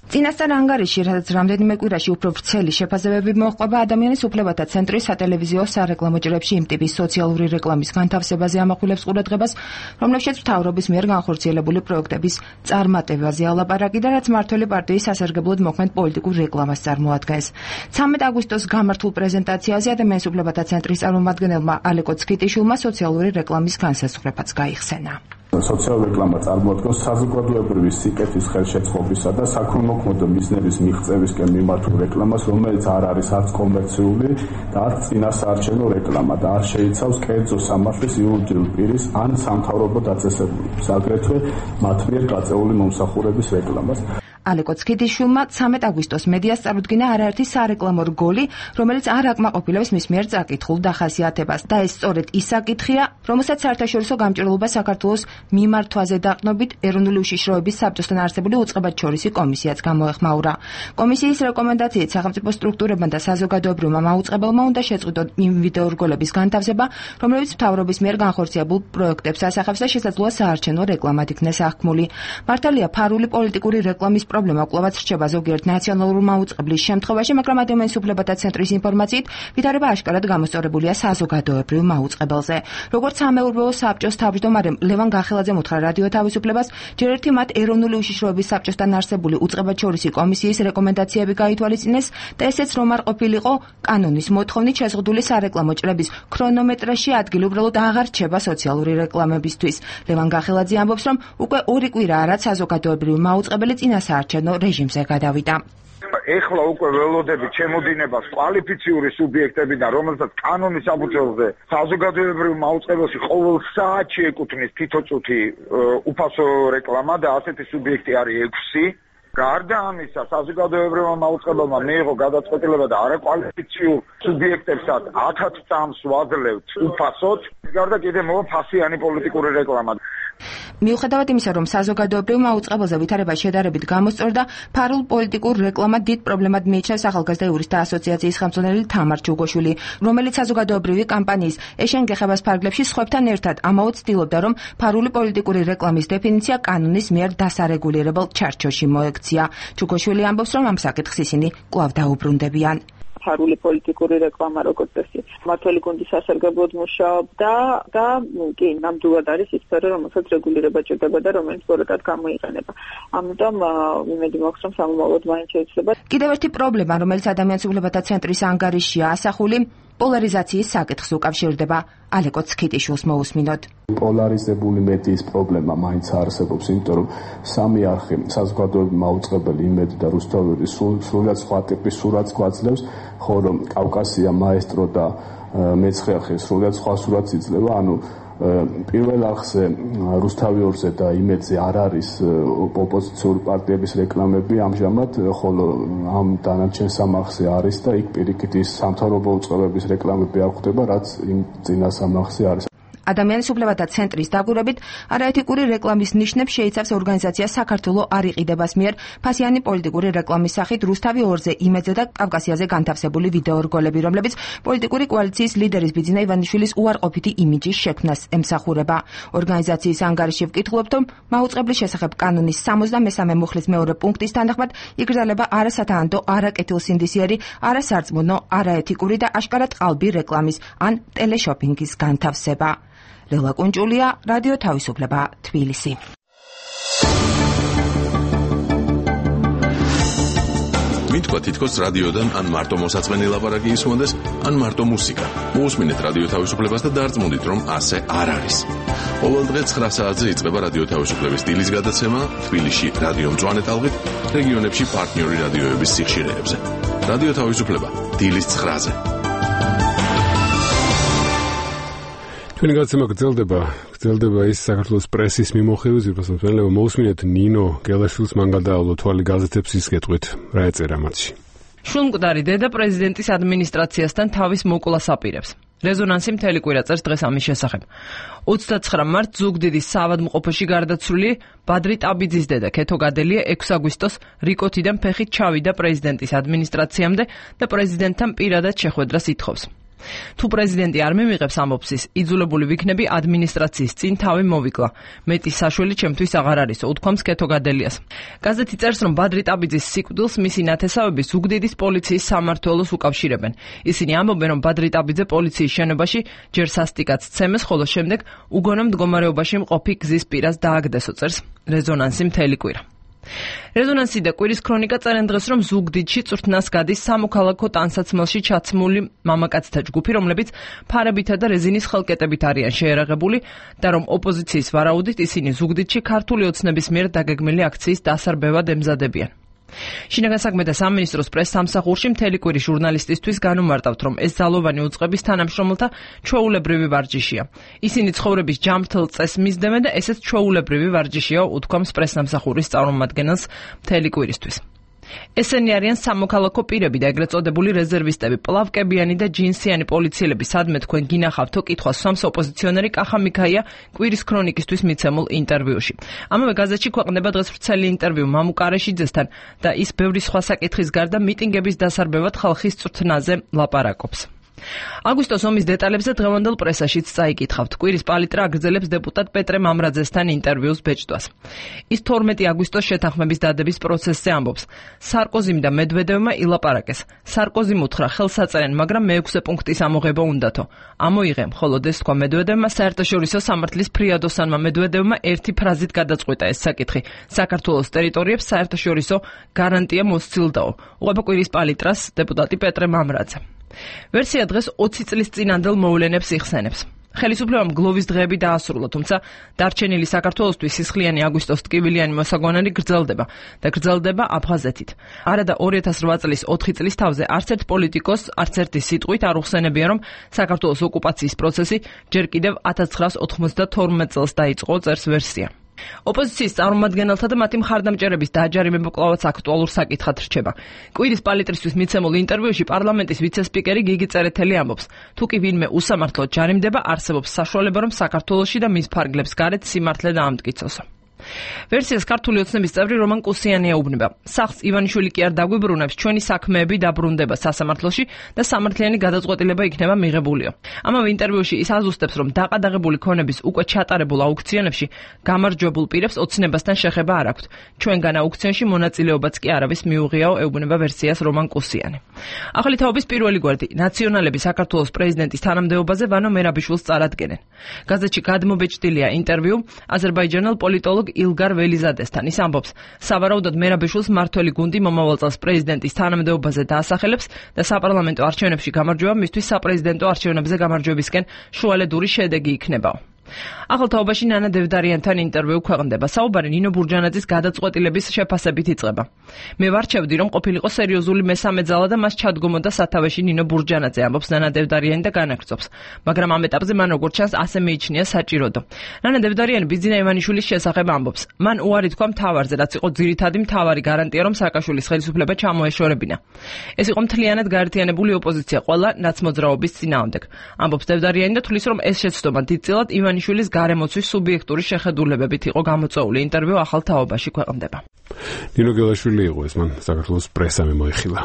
წინასწარ ანგარიში, სადაც რამდენიმე კვირაში უფრო ვრცელი შეფასებები მოჰყვება ადამიანის უფლებათა ცენტრის სატელევიზიო სარეკლამო ჭრებში იმ ტიპის სოციალური რეკლამის განთავსებაზე ამახვილებს ყურადღებას, რომლებშიც მთავრობის მიერ განხორციელებული პროექტების წარმატებაზე ალაპარაკი და რაც მმართველი პარტიის სასარგებლოდ მოქმედ პოლიტიკურ რეკლამას წარმოადგენს. 13 აგვისტოს გამართულ პრეზენტაციაზე ადამიანის უფლებათა ცენტრის წარმომადგენელმა ალეკო ცქიტიშვილმა სოციალური რეკლამის განსაზღვრებაც გაიხსენა. სოციალური რეკლამა წარმოადგენს საზოგადოებრივი სიკეთის ხელშეწყობისა და საქველმოქმედო მიზნების მიღწევისკენ მიმართულ რეკლამას, რომელიც არ არის არც კომერციული და არც წინასაარჩევნო რეკლამა და არ შეიცავს კერძო სამართლის იურიდიულ პირის ან სამთავრობო დაწესებულებას, აგრეთვე მათ მიერ გაწეული მომსახურების რეკლამას. ალეკო ცქიტიშვილმა 13 აგვისტოს მედიას წარუდგინა არაერთი სარეკლამო რგოლი, რომელიც არ აკმაყოფილებს მის მიერ წაკითხულ დახასიათებას და ეს სწორედ ის საკითხია, რომელსაც საერთაშორისო გამჭირვალობა საქართველოს მიმართვაზე დაყრდნობით ეროვნული უშიშროების საბჭოსთან არსებული უწყებათშორისი კომისიაც გამოეხმაურა. კომისიის რეკომენდაციით სახელმწიფო სტრუქტურებმა და საზოგადოებრივმა მაუწყებელმა უნდა შეწყვიტონ იმ ვიდეორგოლების განთავსება, რომლებიც მთავრობის მიერ განხორციელებულ პროექტებს ასახავს და შესაძლოა საარჩევნო რეკლამად იქნეს აღქმული. მართალია ფარული პოლიტიკური რეკლამის პრობლემა კვლავაც რჩება ზოგიერთ ნაციონალურ მაუწყებლის შემთხვევაში, მაგრამ ადამიანის უფლებათა ცენტრის ინფორმაციით ვითარება აშკარად გამოსწორებულია საზოგადოებრივ მაუწყებელზე. როგორც სამეურვეო საბჭოს თავმჯდომარემ ლევან გახელაძემ უთხრა რადიო თავისუფლებას, ჯერ ერთი მათ ეროვნული უშიშროების საბჭოსთან არსებული უწყებათშორისი კომისიის რეკომენდაციები გაითვალისწინეს და ესეც რომ არ ყოფილიყო კანონის მოთხოვნით შეზღუდული სარეკლამო ჭრების ქრონომეტრაჟი ადგილი უბრალოდ აღარ რჩება სოციალური რეკლამებისთვის. ლევან გახელაძე ამბობს, რომ უკვე 2 კვირაა რაც საზოგადოებრივ მაუწყებელი წინასაარჩევნო რეჟიმზე გადავიდა. ეხლა უკვე ველოდებით შემოდინებას კვალიფიციური სუბიექტებიდან, რომელსაც კანონის საფუძველზე საზოგადოებრივ მაუწყებელში ყოველ საათში ეკუთვნის თითოწუთი უფასო რეკლამა და ასეთი სუბიექტი არის 6. გარდა ამისა, საზოგადოებრივმა მაუწყებელმა მიიღო გადაწყვეტილება და არაკვალიფიციურ სუბიექტებსაც 1000 წამს ვაძლევთ უფასოდ. გარდა კიდევ მოვა ფასიანი პოლიტიკური რეკლამა. მიუხედავად იმისა, რომ საზოგადოებრივ მაუწყებელზე ვითარება შედარებით გამოსწორდა, ფარულ პოლიტიკურ რეკლამად დიდ პრობლემად მიიჩნევს ახალგაზრდა იურისტთა ასოციაციის ხელმძღვანელი თამარ ჩუგოშვილი, რომელიც საზოგადოებრივი კამპანიის ეშენ გეხებას ფარგლებში სხვებთან ერთად ამაოდ ცდილობდა, რომ ფარული პოლიტიკური რეკლამის დეფინიცია კანონის მიერ დასარეგულირებელ ჩარჩოში მოექცია. ჩუგოშვილი ამბობს, რომ ამ საკითხს ისინი კვლავ დაუბრუნდებიან. ფარული პოლიტიკური რეკლამა როგორც წესი მმართველი გუნდის სასარგებლოდ მუშაობდა და კი ნამდვილად არის ის სფერო, რომელსაც რეგულირება ჭირდება და რომელიც ბოროტად გამოიყენება. ამიტომ იმედი მაქვს, რომ სამომავლოდ მაინც შეიძლება. კიდევ ერთი პრობლემა, რომელიც ადამიანის უფლებათა ცენტრის ანგარიშია ასახული, პოლარიზაციის საკითხს უკავშირდება. ალეკო ცქიტიშვილს მოусმინოთ. პოლარიზებული მედიის პრობლემა მაინც არსებობს, იმიტომ რომ სამი არხი, საზოგადოებრივი მაუწყებელი, იმედი და რუსთაველი სრულად სხვა ტიპის სურათს გვაძლევს, ხოლო კავკასია, მაესტრო და მეცხრე არხი სრულად სხვა სურათს იძლევა, ანუ პირველ არხზე რუსთავი 2-ზე და იმედზე არ არის ოპოზიციური პარტიების რეკლამები ამჟამად, ხოლო ამ დანარჩენ სამ არხზე არის და იქ პირიქით ის სამთავრობო უწყებების რეკლამები არ ხდება, რაც იმ წინა სამ არხზე არის. ადამიანის უფლებათა ცენტრის დაკვირვებით, არაეთიკური რეკლამის ნიშნებს შეიცავს ორგანიზაცია საქართველოს არ იყიდებას მიერ ფასიანი პოლიტიკური რეკლამის სახით რუსთავი 2-ზე, იმედზე და კავკასიაზე განთავსებული ვიდეორგოლები, რომლებიც პოლიტიკური კოალიციის ლიდერის ბიძინა ივანიშვილის უარყოფითი იმიჯის შექმნას ემსახურება. ორგანიზაციის ანგარიში ვკითხულობთ, რომ მაუწყებლის შესახებ კანონის 63 მუხლის მეორე პუნქტის თანახმად იგრძელება არასათანადო, არაკეთილსინდისიერი, არასარწმუნო, არაეთიკური და აშკარად ყალბი რეკლამის ან ტელეშოპინგის განთავსება. ლელა კუნჭულია, რადიო თავისუფლება, თბილისი. მითქვა თითქოს რადიოდან ან მარტო მოსაწყენი ლაპარაკი ისმოდეს, ან მარტო მუსიკა. მოусმინეთ რადიო თავისუფლებას და დარწმუნდით, რომ ასე არ არის. ყოველ დღე 9 საათზე იწყება რადიო თავისუფლების დილის გადაცემა თბილისში რადიო მწვანე ტალღით, რეგიონებში პარტნიორი რადიოების სიხშირეებზე. რადიო თავისუფლება დილის 9-ზე. ჩვენი გადაცემა გრძელდება ის საქართველოს პრესის მიმოხილვის ზირფასმოწმენელებმა მოусმინეთ ნინო გელაშვილს მან გადაავლო თვალი გაზეთებს ის გეტყვით რა ეწერა მათში. შულმკვდარი დედა პრეზიდენტის ადმინისტრაციასთან თავის მოკვლას აპირებს. რეზონანსი მთელი კვირა წერს დღეს ამის შესახებ. 29 მარტს ზუგდიდის საავადმყოფოში გარდაცვლილი ბადრი ტაბიძის დედა ქეთო გადელია 6 აგვისტოს რიკოთიდან ფეხით ჩავიდა პრეზიდენტის ადმინისტრაციამდე და პრეზიდენტთან პირადად შეხვედრას ითხოვს. თუ პრეზიდენტი არ მიმიღებს ამბობს ის, იძულებული ვიქნები ადმინისტრაციის წინ თავი მოვიკლა. მეტი საშველი ჩემთვის აღარ არისო, უთქვამს კეთო გადელიას. გაზეთი წერს, რომ ბადრი ტაბიძის სიკვდილს მისი ნათესავები ზუგდიდის პოლიციის სამმართველოს უკავშირებენ. ისინი ამბობენ, რომ ბადრი ტაბიძე პოლიციის შენობაში ჯერ სასტიკად სცემეს, ხოლო შემდეგ უგონო მდგომარეობაში მყოფი გზის პირას დააგდესო, წერს რეზონანსი მთელი კვირა. რეზონანსი და კვირის ქრონიკა წერენ დღეს, რომ ზუგდიდში წვრთნას გადის სამოქალაქო ტანსაცმელში ჩაცმული მამაკაცთა ჯგუფი, რომლებიც ფარებითა და რეზინის ხელკეტებით არიან შეერაღებული და რომ ოპოზიციის ვარაუდით ისინი ზუგდიდში ქართული ოცნების მიერ დაგეგმილი აქციის დასარბევად ემზადებიან. შინაგან საქმეთა სამინისტროს პრეს-სამსახურში მთელი კვირის ჟურნალისტისთვის განუმარტავთ, რომ ეს ძალოვანი უწყების თანამშრომელთა ჩვეულებრივი ვარჯიშია. ისინი ცხოვრების ჯანმრთელ წესს მისდევენ და ესეც ჩვეულებრივი ვარჯიშია, უთქვამს პრეს-სამსახურის წარმომადგენელს მთელი კვირისთვის. ესენი არიან სამოქალაქო პირები და ეგრეთ წოდებული რეზერვისტები, პლავკებიანი და ჯინსიანი პოლიციელები, სადმე თქვენ გინახავთო კითხვას სვამს ოპოზიციონერი კახა მიქაია კვირის ქრონიკისთვის მიცემულ ინტერვიუში. ამავე გაზეთში ქვეყნდება დღეს ვრცელი ინტერვიუ მამუ კარეშიძესთან და ის ბევრი სხვა საკითხის გარდა მიტინგების დასარბევად ხალხის წვრთნაზე ლაპარაკობს. აგვისტოს ომის დეტალებზე დღევანდელ პრესაშიც წაიკითხავთ. კვირის პალიტრა აგრძელებს დეპუტატ პეტრე მამრაძესთან ინტერვიუს ბეჭდვას. ის 12 აგვისტოს შეთანხმების დადების პროცესზე ამბობს. სარკოზიმ და მედვედევმა ილაპარაკეს. სარკოზიმ უთხრა ხელს აწერენ, მაგრამ მე-6 პუნქტის ამოღება უნდათო. ამოიღემ, ხოლო ეს თქვა მედვედევმა, საერთაშორისო სამართლის ფრიადოსანმა მედვედევმა ერთი ფრაზით გადაწყვიტა ეს საკითხი. საქართველოს ტერიტორიებს საერთაშორისო გარანტია მოსცილდაო. უყვება კვირის პალიტრას დეპუტატი პეტრე მამრაძე. ვერსია დღეს 20 წლის წინანდელ მოვლენებს იხსენებს. ხელისუფლებამ გლოვის დღეები დაასრულა, თუმცა დარჩენილი საქართველოსთვის სისხლიანი აგვისტოს ტკივილიანი მოსაგვანარი გრძელდება და გრძელდება აფხაზეთით. არადა 2008 წლის 4 წლის თავზე არც ერთ პოლიტიკოს, არც ერთი სიტყვით არ უხსენებია, რომ საქართველოს ოკუპაციის პროცესი ჯერ კიდევ 1992 წელს დაიწყო, წერს ვერსია. ოპოზიციის წარმომადგენელთა და მათი მხარდამჭერების დააჯარიმება კვლავაც აქტუალურ საკითხად რჩება. კვირის პალიტრისთვის მიცემულ ინტერვიუში პარლამენტის ვიცე-სპიკერი გიგი წერეთელი ამბობს, თუ კი ვინმე უსამართლოდ ჯარიმდება, არსებობს საშუალება, რომ საქართველოში და მის ფარგლებს გარეთ სიმართლე დაამტკიცოსო. ვერსიას ქართული ოცნების წევრი რომან კუსიანი ეუბნება. სახლს ივანიშვილი კი არ დაგვიბრუნებს, ჩვენი საქმეები დაბრუნდება სასამართლოში და სამართლიანი გადაწყვეტილება იქნება მიღებულიო. ამავე ინტერვიუში ის აზუსტებს, რომ დაყადაღებული ქონების უკვე ჩატარებულ აუქციონებში გამარჯვებულ პირებს ოცნებასთან შეხება არ აქვთ. ჩვენგან აუქციონში მონაწილეობაც კი არავის მიუღიაო, ეუბნება ვერსიას რომან კუსიანი. ახალი თაობის პირველი გვერდი ნაციონალები საქართველოს პრეზიდენტის თანამდებობაზე ვანო მერაბიშვილს წარადგენენ. გაზეთში გადმობეჭდილია ინტერვიუ აზერბაიჯანელ პოლიტოლოგ ილგარ ველიზადესთან. ის ამბობს, სავარაუდოდ მერაბიშვილს მართველი გუნდი მომავალ წელს პრეზიდენტის თანამდებობაზე დაასახელებს და საპარლამენტო არჩევნებში გამარჯვება მისთვის საპრეზიდენტო არჩევნებზე გამარჯვებისკენ შუალედური შედეგი იქნებაო. ახალ თაობაში ნანა დევდარიანთან ინტერვიუ ქვეყნდება. საუბარი ნინო ბურჯანაძის გადაწყვეტილების შეფასებით იწყება. მე ვარჩევდი, რომ ყოფილიყო სერიოზული მესამე ძალა და მას ჩადგომოდა სათავეში ნინო ბურჯანაძე, ამბობს ნანა დევდარიანი და განაგრძობს. მაგრამ ამ ეტაპზე მან როგორც ჩანს ასე მიიჩნია საჭიროდო. ნანა დევდარიანი ბიძინა ივანიშვილის შესახებ ამბობს. მან უარი თქვა მთავარზე, რაც იყო ძირითადი მთავარი გარანტია, რომ სააკაშვილის ხელისუფლება ჩამოეშორებინა. ეს იყო მთლიანად გაერთიანებული ოპოზიცია ყველა ნაცმოძრაობის წინააღმდეგ. ამბობს დევდარიანი და თulis, რომ ეს შეცდომა დიდწილად ივანიშვილის გარემოცვის სუბიექტური შეხედულებებით იყო გამოწვეული. ინტერვიუ ახალ თაობაში ქვეყნდება. ნინო გელაშვილი იყო ეს, მან საქართველოს პრესამ მოიხილა.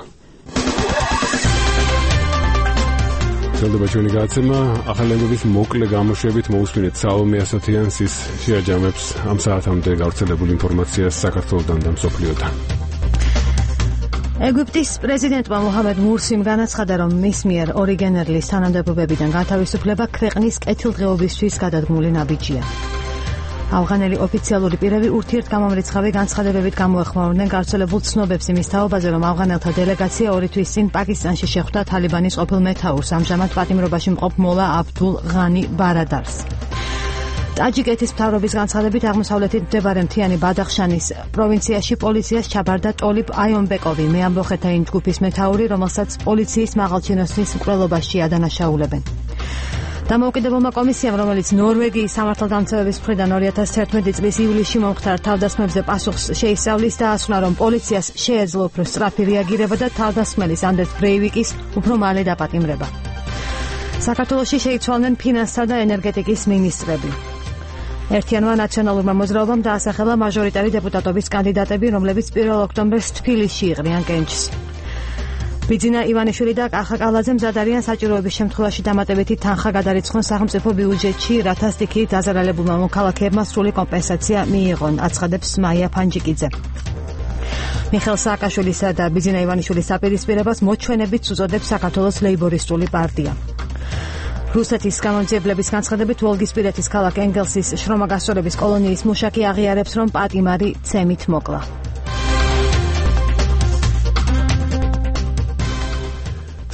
გრძელდება ჩვენი გადაცემა. ახალი ამბების მოკლე გამოშვებით მოусმინეთ საომე ასათიანს, ის შეაჯამებს ამ საათამდე გავრცელებულ ინფორმაციას საქართველოსთან და მსოფლიოდან. ეგვიპტის პრეზიდენტმა მოჰამედ მურსიმ განაცხადა, რომ მის მიერ ორიგენერლის თანამდებობებიდან გათავისუფლება ქვეყნის კეთილდღეობისთვის გადადგმული ნაბიჯია. ავღანელი ოფიციალური პირები ურთიერთგამომრიცხავი განცხადებებით გამოეხმაურნენ გავრცელებულ ცნობებს იმის თაობაზე, რომ ავღანელთა დელეგაცია 2 თვის წინ პაკისტანში შეხვდა თალიბანის ყოფილ მეთაურს, ამჟამად პატიმრობაში მყოფ მოლა აბდულ ღანი ბარადარს. ტაჯიკეთის მთავრობის განცხადებით აღმოსავლეთით მდებარე მთიანი ბადახშანის პროვინციაში პოლიციას ჩაბარდა ტოლიბ აიონბეკოვი, მეამბოხეთა იმ ჯგუფის მეთაური, რომელსაც პოლიციის მაღალჩინოსნის მკვლელობაში ადანაშაულებენ. დამოუკიდებელმა კომისიამ, რომელიც ნორვეგიის სამართალდამცავების მხრიდან 2011 წლის ივლისში მომხდარ თავდასხმებზე პასუხს შეისწავლის, დაასვნა, რომ პოლიციას შეეძლო უფრო სწრაფი რეაგირება და თავდასხმელის ანდერს ბრეივიკის უფრო მალე დაპატიმრება. საქართველოში შეიცვალნენ ფინანსთა და ენერგეტიკის მინისტრები. ერთიანმა ნაციონალურმა მოძრაობამ დაასახელა მაჟორიტარი დეპუტატობის კანდიდატები, რომლებიც 1 ოქტომბერს თბილისში იყრიან კენჭს. ბიძინა ივანიშვილი და კახა კალაძე მზად არიან საჭიროების შემთხვევაში დამატებითი თანხა გადარიცხონ სახელმწიფო ბიუჯეტში, რათა სტიქიით დაზარალებულმა მოქალაქეებმა სრული კომპენსაცია მიიღონ, აცხადებს მაია ფანჯიკიძე. მიხეილ სააკაშვილისა და ბიძინა ივანიშვილის საპირისპირებას მოჩვენებით უწოდებს საქართველოს ლეიბორისტული პარტია. რუსეთის გამომძიებლების განცხადებით ვოლგისპირეთის ქალაქ ენგელსის შრომაგასწორების კოლონიის მუშაკი აღიარებს, რომ პატიმარი ცემით მოკლა.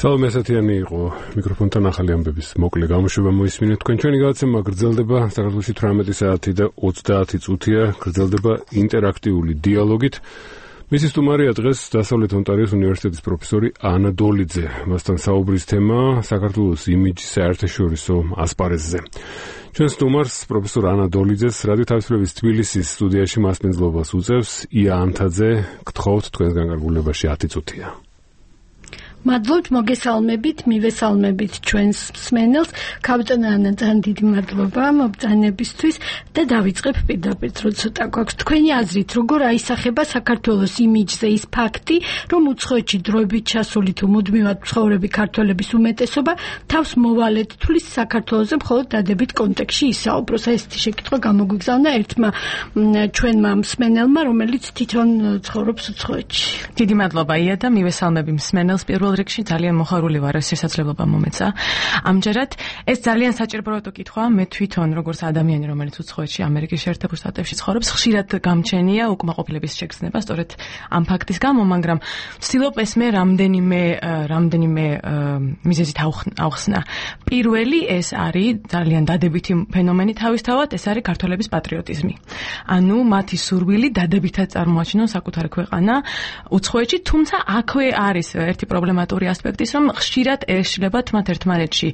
სალომე ასათიანი იყო მიკროფონთან ახალი ამბების მოკლე გამოშვება მოისმინეთ. თქვენ ჩვენი გადაცემა გრძელდება საქართველოში 18 საათი და 30 წუთია, გრძელდება ინტერაქტიული დიალოგით. მისი სტუმარია დღეს დასავლეთ ონტარიოს უნივერსიტეტის პროფესორი ანა დოლიძე. მასთან საუბრის თემა საქართველოს იმიჯი საერთაშორისო ასპარეზზე. ჩვენ სტუმარს პროფესორ ანა დოლიძეს რადიო თავისუფლების თბილისის სტუდიაში მასპინძლობას უწევს ია ანთაძე. გთხოვთ თქვენს განკარგულებაში 10 წუთია. მადლობთ, მოგესალმებით, მივესალმებით ჩვენს მსმენელს. კაპიტან ანა, ძალიან დიდი მადლობა მობრძანებისთვის და დავიწყებ პირდაპირ, რომ ცოტა გვაქვს თქვენი აზრით, როგორ აისახება საქართველოს იმიჯზე ის ფაქტი, რომ უცხოეთში დროებით ჩასული თუ მუდმივად მცხოვრები ქართველების უმეტესობა თავს მოვალედ თulis საქართველოზე მხოლოდ დადებით კონტექსტში ისაუბროს. ესეთი შეკითხვა გამოგვიგზავნა ერთმა ჩვენმა მსმენელმა, რომელიც თვითონ ცხოვრობს უცხოეთში. დიდი მადლობა ია და მივესალმები მსმენელს. პირველ რიგში ძალიან მოხარული ვარ, ეს შესაძლებლობა მომეცა. ამჯერად ეს ძალიან საჭირო კითხვა. მე თვითონ როგორც ადამიანი, რომელიც უცხოეთში ამერიკის შეერთებულ შტატებში ცხოვრობს, ხშირად გამჩენია უკმაყოფილების შეგრძნება სწორედ ამ ფაქტის გამო, მაგრამ ვცდილობ ესმე რამდენიმე მიზეზით ავხსნა. პირველი ეს არის ძალიან დადებითი ფენომენი თავისთავად, ეს არის ქართველების პატრიოტიზმი. ანუ მათი სურვილი დადებითად წარმოაჩინონ საკუთარი ქვეყანა უცხოეთში, თუმცა აქვე არის ერთი პრობლემატური ასპექტის, რომ ხშირად ეშლებათ მათ ერთმანეთში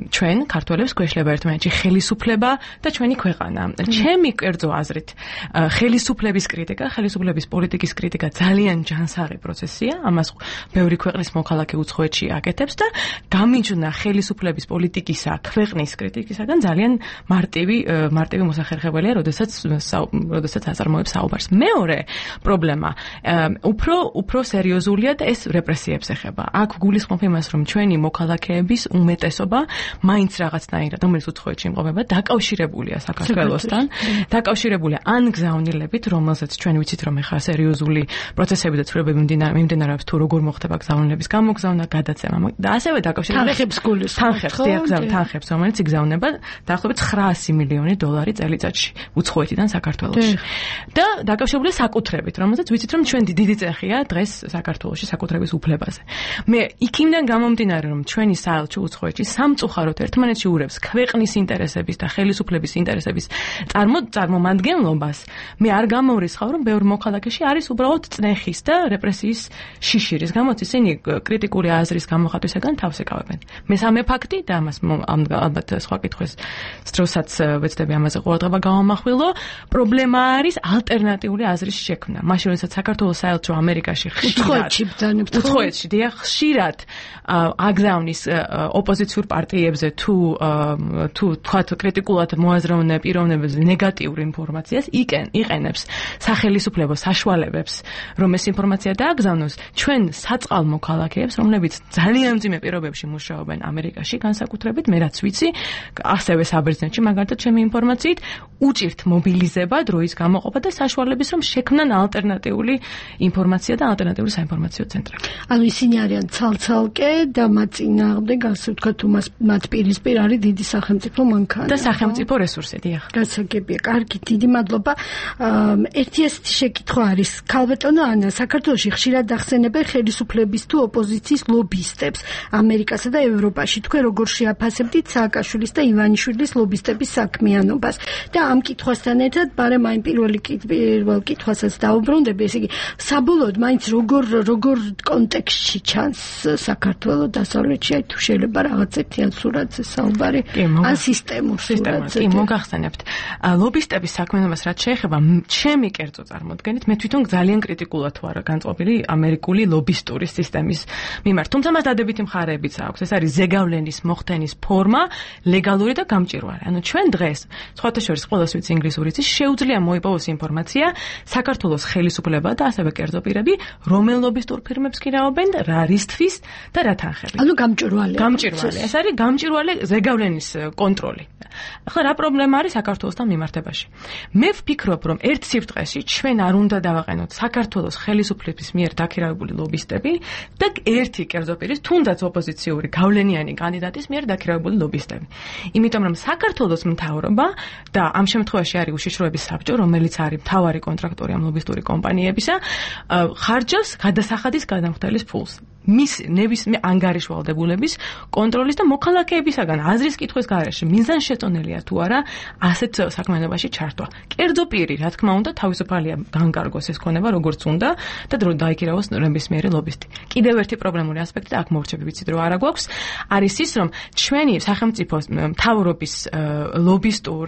ჩვენ ქართველებს გვეშლება ერთმანეთში ხელისუფლება და ჩვენი ქვეყანა. ჩემი კერძო აზრით, ხელისუფლების კრიტიკა, ხელისუფლების პოლიტიკის კრიტიკა ძალიან ჯანსაღი პროცესია, ამას ბევრი ქვეყნის მოქალაქე უცხოეთში აკეთებს და გამიჯვნა ხელისუფლების პოლიტიკისა, ქვეყნის კრიტიკისაგან ძალიან მარტივი მოსახერხებელია, როდესაც აწარმოებს საუბარს. მეორე პრობლემა უფრო სერიოზულია და ეს რეპრესიებს ეხება. აქ გულისხმობ იმას, რომ ჩვენი მოქალაქეების უმეტესობა მაინც რაღაცნაირად, რომელიც უცხოეთში იმყოფება, დაკავშირებულია საქართველოსთან, დაკავშირებულია ან გზავნილებით, რომელსაც ჩვენ ვიცით, რომ ეხლა სერიოზული პროცესები და ცვლილებები მიმდინარეობს, თუ როგორ მოხდება გზავნილების გამოგზავნა, გადაცემა და ასევე დაკავშირებულია თანხებს, რომელიც იგზავნება დაახლოებით $900 მილიონი წელიწადში უცხოეთიდან საქართველოში. და დაკავშირებულია საკუთრებით, რომელსაც ვიცით, რომ ჩვენ დიდი წეხია დღეს საქართველოში საკუთრების უფლებაზე. მე იქიდან გამომდინარე, რომ ჩვენი საელჩო უცხოეთში სამწუხაროდ ერთმანეთში ურევს ქვეყნის ინტერესების და ხელისუფლების ინტერესების წარმომადგენლობას, მე არ გამორიცხავ, რომ ბევრ მოქალაქეში არის უბრალოდ წნეხის და რეპრესიის შიშირის გამოც ისინი კრიტიკული აზრის გამოხატვისაგან თავს ეკავებენ. მესამე ფაქტი და ამას ალბათ სხვა კითხვის დროსაც ვეცდები ამაზე ყურადღება გავამახვილო, პრობლემა არის ალტერნატიული აზრის შექმნა. მაშინ როდესაც საქართველოს საელჩო ამერიკაში უცხოეთში ხშირად აგზავნის ოპოზიციურ პარტიებზე თუ თქვათ კრიტიკულად მოაზროვნე პიროვნებებზე ნეგატიურ ინფორმაციას იყენებს სახელისუფლებო საშუალებებს, რომ ეს ინფორმაცია დააგზავნოს ჩვენ საწყალ მოქალაქეებს, რომლებიც ძალიან მძიმე პირობებში მუშაობენ ამერიკაში განსაკუთრებით, მე რაც ვიცი, ასევე საბერძნეთში მაგალითად ჩემი ინფორმაციით, უჭირთ მობილიზება, დროის გამოყოფა და საშუალების, რომ შექმნან ალტერნატიული ინფორმაცია და ალტერნატიული საინფორმაციო ცენტრები. ანუ ისინი არიან ცალ-ცალკე და მათ წინააღმდეგ, ასე ვთქვათ, მათ პირისპირ არის დიდი სახელმწიფო მანქანა და სახელმწიფო რესურსი, დიახ. გასაგებია, კარგი, დიდი მადლობა. ერთი ასეთი შეკითხვა არის, ქალბატონო ანა, საქართველოში ხშირად ახსენებენ ხელისუფლების თუ ოპოზიციის ლობისტებს ამერიკასა და ევროპაში. თქვენ როგორ შეაფასებდით სააკაშვილის და ივანიშვილის ლობისტების საქმიანობას? და ამ კითხვასთან ერთად, ბარემ აი პირველ კითხვასაც დაუბრუნდები, ესე იგი, საბოლოოდ მაინც როგორ კონტექსტში ჩანს საქართველოს დასავლეთში, აი თუ შეიძლება რაღაც ერთიან სურათზე საუბარი, ან სისტემურ სურათზე. კი, მოგახსენებთ. ლობისტების საქმიანობას რაც შეეხება, ჩემი კერძო წარმოდგენით, მე თვითონ ძალიან კრიტიკულად ვარ განწყობილი ამერიკული ლობისტური სისტემის მიმართ. თუმცა მას დადებითი მხარეებიც აქვს. ეს არის ზეგავლენის მოხდენის ფორმა, ლეგალური და გამჭვირვალე. ანუ ჩვენ დღეს, სხვათა შორის ყველას ვიცი ინგლისური იცის, შეუძლია მოიპოვოს ინფორმაცია საქართველოს ხელისუფლება და ასევე კერძო პირები, რომელ ლობისტურ ფირმებს კი რაობენ, რა რისთვის და რა თანხებით. ანუ გამჭვირვალე. ეს არის გამჭვირვალე ზეგავლენის კონტროლი. ახლა რა პრობლემა არის საქართველოსთან მიმართებაში? მე ვფიქრობ, რომ ერთ სიბრტყეში ჩვენ არ უნდა დავაყენოთ საქართველოს ხელისუფლების მიერ დაქირავებული ლობისტები და ერთი კერძო პირის, თუნდაც ოპოზიციური გავლენიანი კანდიდატის მიერ დაქირავებული ლობისტები. იმიტომ რომ საქართველოს მთავრობა და ამ შემთხვევაში არის უშიშროების საბჭო, რომელიც არის მთავარი კონტრაქტორი ამ ლობისტური კომპანიებისა, ხარჯავს გადასახადის გადამხდელის ფულს. მის ნებისმიერ ანგარიშვალდებულების კონტროლის და მოქალაქეებისაგან აზრის კითხვის გარეშე მიზანშეწონილია თუ არა ასეთ საქმიანობაში ჩართვა. კერძო პირი, რა თქმა უნდა, თავისუფალია განკარგოს ეს ქონება, როგორც უნდა და დრო დაიქირავოს ნებისმიერი ლობისტი. კიდევ ერთი პრობლემური ასპექტი აქ მორჩები ვიცით რომ არა გვაქვს, არის ის, რომ ჩვენი სახელმწიფოს მთავრობის ლობისტურ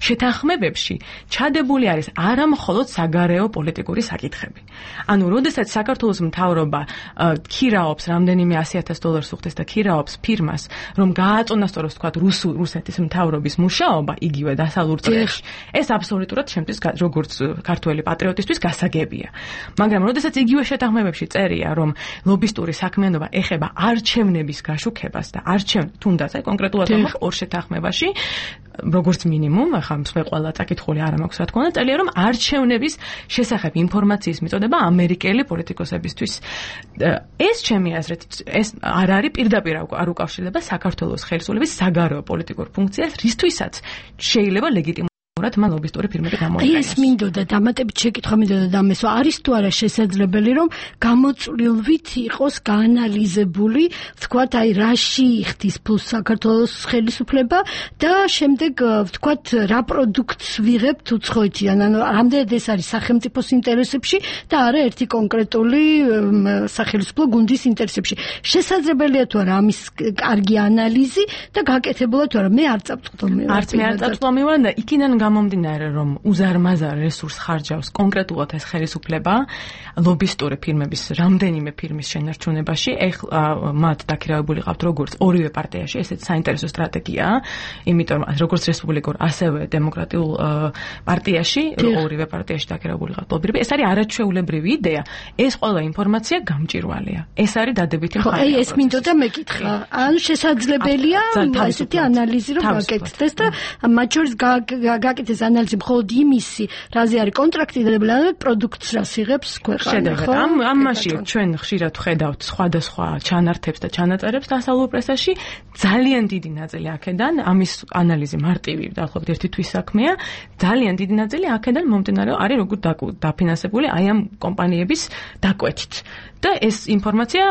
შეთანხმებებში ჩადებული არის არა მხოლოდ საგარეო პოლიტიკური საკითხები. ანუ, როდესაც საქართველოს მთავრობა ქირაობს რამდენიმე 100,000 დოლარს უხდეს და ქირაობს ფირმას, რომ გააწონასწოროს თქვათ რუსეთის მთავრობის მუშაობა იგივე დასავლურ წრეში. ეს აბსოლუტურად შემთხვევით როგორც ქართველი პატრიოტისთვის გასაგებია. მაგრამ როდესაც იგივე შეთანხმებებში წერია, რომ ლობისტური საქმიანობა ეხება არჩევნების გაშუქებას და თუნდაც კონკრეტულად ორ შეთანხმებაში როგორც მინიმუმ, ახლა მსხვერპლ ყველა წაკითხული არ მაქვს რა თქმა უნდა, წერია რომ არჩევნების შესახებ ინფორმაციის მიწოდება ამერიკელი პოლიტიკოსებისთვის. ეს ჩემი აზრით, ეს არ არის პირდაპირ არ უკავშირდება საქართველოს ხელისუფლების საგარეო პოლიტიკურ ფუნქციას, რისთვისაც შეიძლება ლეგიტიმურად მან ლობისტური ფირმები გამოიყენოს. ეს მინდოდა დამატებით შეკითხვა მინდოდა დამესვა, არის თუ არა შესაძლებელი რომ გამოწვლილვით იყოს გაანალიზებული, ვთქვათ, აი რაში იხდის ფულს საქართველოს ხელისუფლება და შემდეგ ვთქვათ რა პროდუქტს ვიღებთ უცხოეთიდან, ანუ რამდენად ეს არის სახელმწიფოს ინტერესებში და არა ერთი კონკრეტული სახელმწიფო გუნდის ინტერესებში. შესაძლებელია თუ არა ამის კარგი ანალიზი და გაკეთებულა თუ არა, მე არ წავწყვდომი. არც მე არ წავწყვდომი და იქიდან გამომდინარე რომ უზარმაზარ რესურს ხარჯავს კონკრეტულად ეს ხელისუფლება ლობისტური ფირმების რამდენიმე ფირმის შენარჩუნებაში, მათ დაქირავებული ყავთ როგორც ორივე პარტიაში, ესეც საინტერესო სტრატეგიაა, იმიტომ რომ როგორც რესპუბლიკურ, ასევე დემოკრატიულ პარტიაში, ორივე პარტიაში დაქირავებული ყავთ ლობისტები, ეს არის არაჩვეულებრივი იდეა, ეს ყველა ინფორმაცია გამჭირვალეა. ეს არის დადებითი მხარე. აი ეს მინდოდა მეკითხა. ანუ შესაძლებელია ესეთი ანალიზი რომ გაკეთდეს და მათ შორის გაკეთდეს ანალიზი მხოლოდ იმისი, რაზე არის კონტრაქტი დადებულება, პროდუქტს რას იღებს ქვეყანა, ხო? ამაში ჩვენ ხშირად ხედავთ სხვადასხვა ჩანართებს და ჩანაწერებს დასავლურ პრესაში, ძალიან დიდი ნაწილი აქედან, ამის ანალიზი მარტივი, დაახლოებით ერთი თვის საქმეა, ძალიან დიდი ნაწილი აქედან მომდინარეობს არის როგორ დაფინანსებული აი ამ კომპანიების დაკვეთით. და ეს ინფორმაცია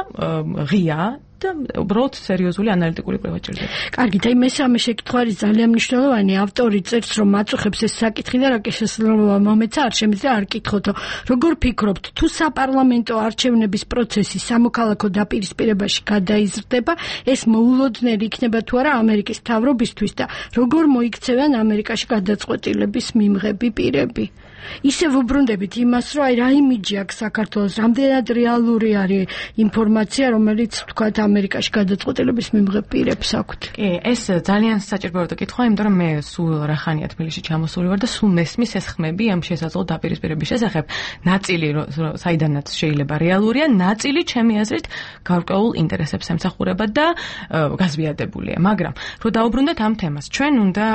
ღია და უბრალოდ სერიოზული ანალიტიკური კვლევა ჭირდება. კარგით, აი მესამე შეკითხვა არის ძალიან მნიშვნელოვანი. ავტორი წერს, რომ აწუხებს ეს საკითხი და რა შესაძლოა მომეცა არ შემიძლია არ კითხოთო. როგორ ფიქრობთ, თუ საპარლამენტო არჩევნების პროცესი სამოქალაქო დაპირისპირებაში გადაიზრდება, ეს მოულოდნელი იქნება თუ არა ამერიკის მთავრობისთვის და როგორ მოიქცევენ ამერიკაში გადაწყვეტილების მიმღები პირები? ისევ უბრუნდებით იმას, რომ აი რა იმიჯი აქვს საქართველოს, რამდენად რეალური არის ინფორმაცია, რომელიც თქვათ ამერიკაში გადაწყვეტილების მიმღებ პირებს აქვთ. კი, ეს ძალიან საჭირო კითხვა, იმიტომ რომ მე სულ რახანია თბილისში ჩამოსული ვარ და სულ მესმის ეს ხმები ამ შესაძლო დაპირისპირების შესახებ. ნაწილი საიდანაც შეიძლება რეალურია, ნაწილი ჩემი აზრით გარკვეულ ინტერესებს ემსახურება და გაზვიადებულია. მაგრამ რომ დაუბრუნდეთ ამ თემას, ჩვენ უნდა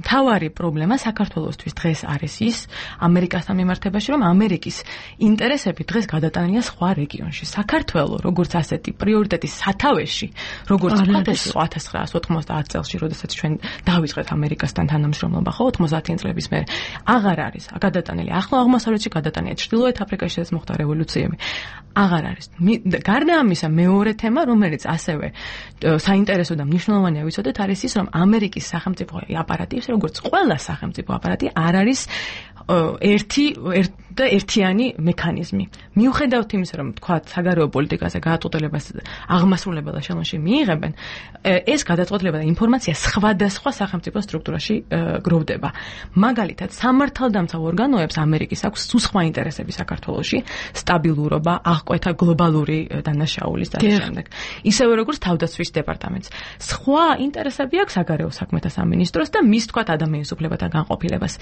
მთავარი პრობლემა საქართველოსთვის დღეს არის ის ამერიკასთან მიმართებაში, რომ ამერიკის ინტერესები დღეს გადატანილია სხვა რეგიონში. საქართველო, როგორც ასეთი პრიორიტეტის სათავეში, როგორც 1990 წელს, როდესაც ჩვენ დავიწყეთ ამერიკასთან თანამშრომლობა, ხო, 90-იან წლების მერე, აღარ არის გადატანილი. ახლო აღმოსავლეთში გადატანილია, ჩრდილოეთ აფრიკაში ეს მოხდა რევოლუციები. აღარ არის. გარდა ამისა, მეორე თემა, რომელიც ასევე საინტერესო და მნიშვნელოვანია ვიცოდეთ, არის ის, რომ ამერიკის სახელმწიფო აპარატი, როგორც ყველა სახელმწიფო აპარატი, არ არის ერთიანი მექანიზმი. მიუხედავად იმისა, რომ თქვათ, საგარეო პოლიტიკაზე გადაწყვეტილებას აღმასრულებელ ეშელონში მიიღებენ, ეს გადაწყვეტილება და ინფორმაცია სხვადასხვა სახელმწიფო სტრუქტურაში გროვდება. მაგალითად, სამართალდამცავ ორგანოებს ამერიკის აქვს სხვა ინტერესები საქართველოში, სტაბილურობა, მოახკვეთა გლობალური დანაშაულის და შემდეგ. ისევე როგორც თავდაცვის დეპარტამენტს. სხვა ინტერესები აქვს საგარეო საქმეთა სამინისტროს და მის თქვათ ადამიანის უფლებათა განყოფილებას.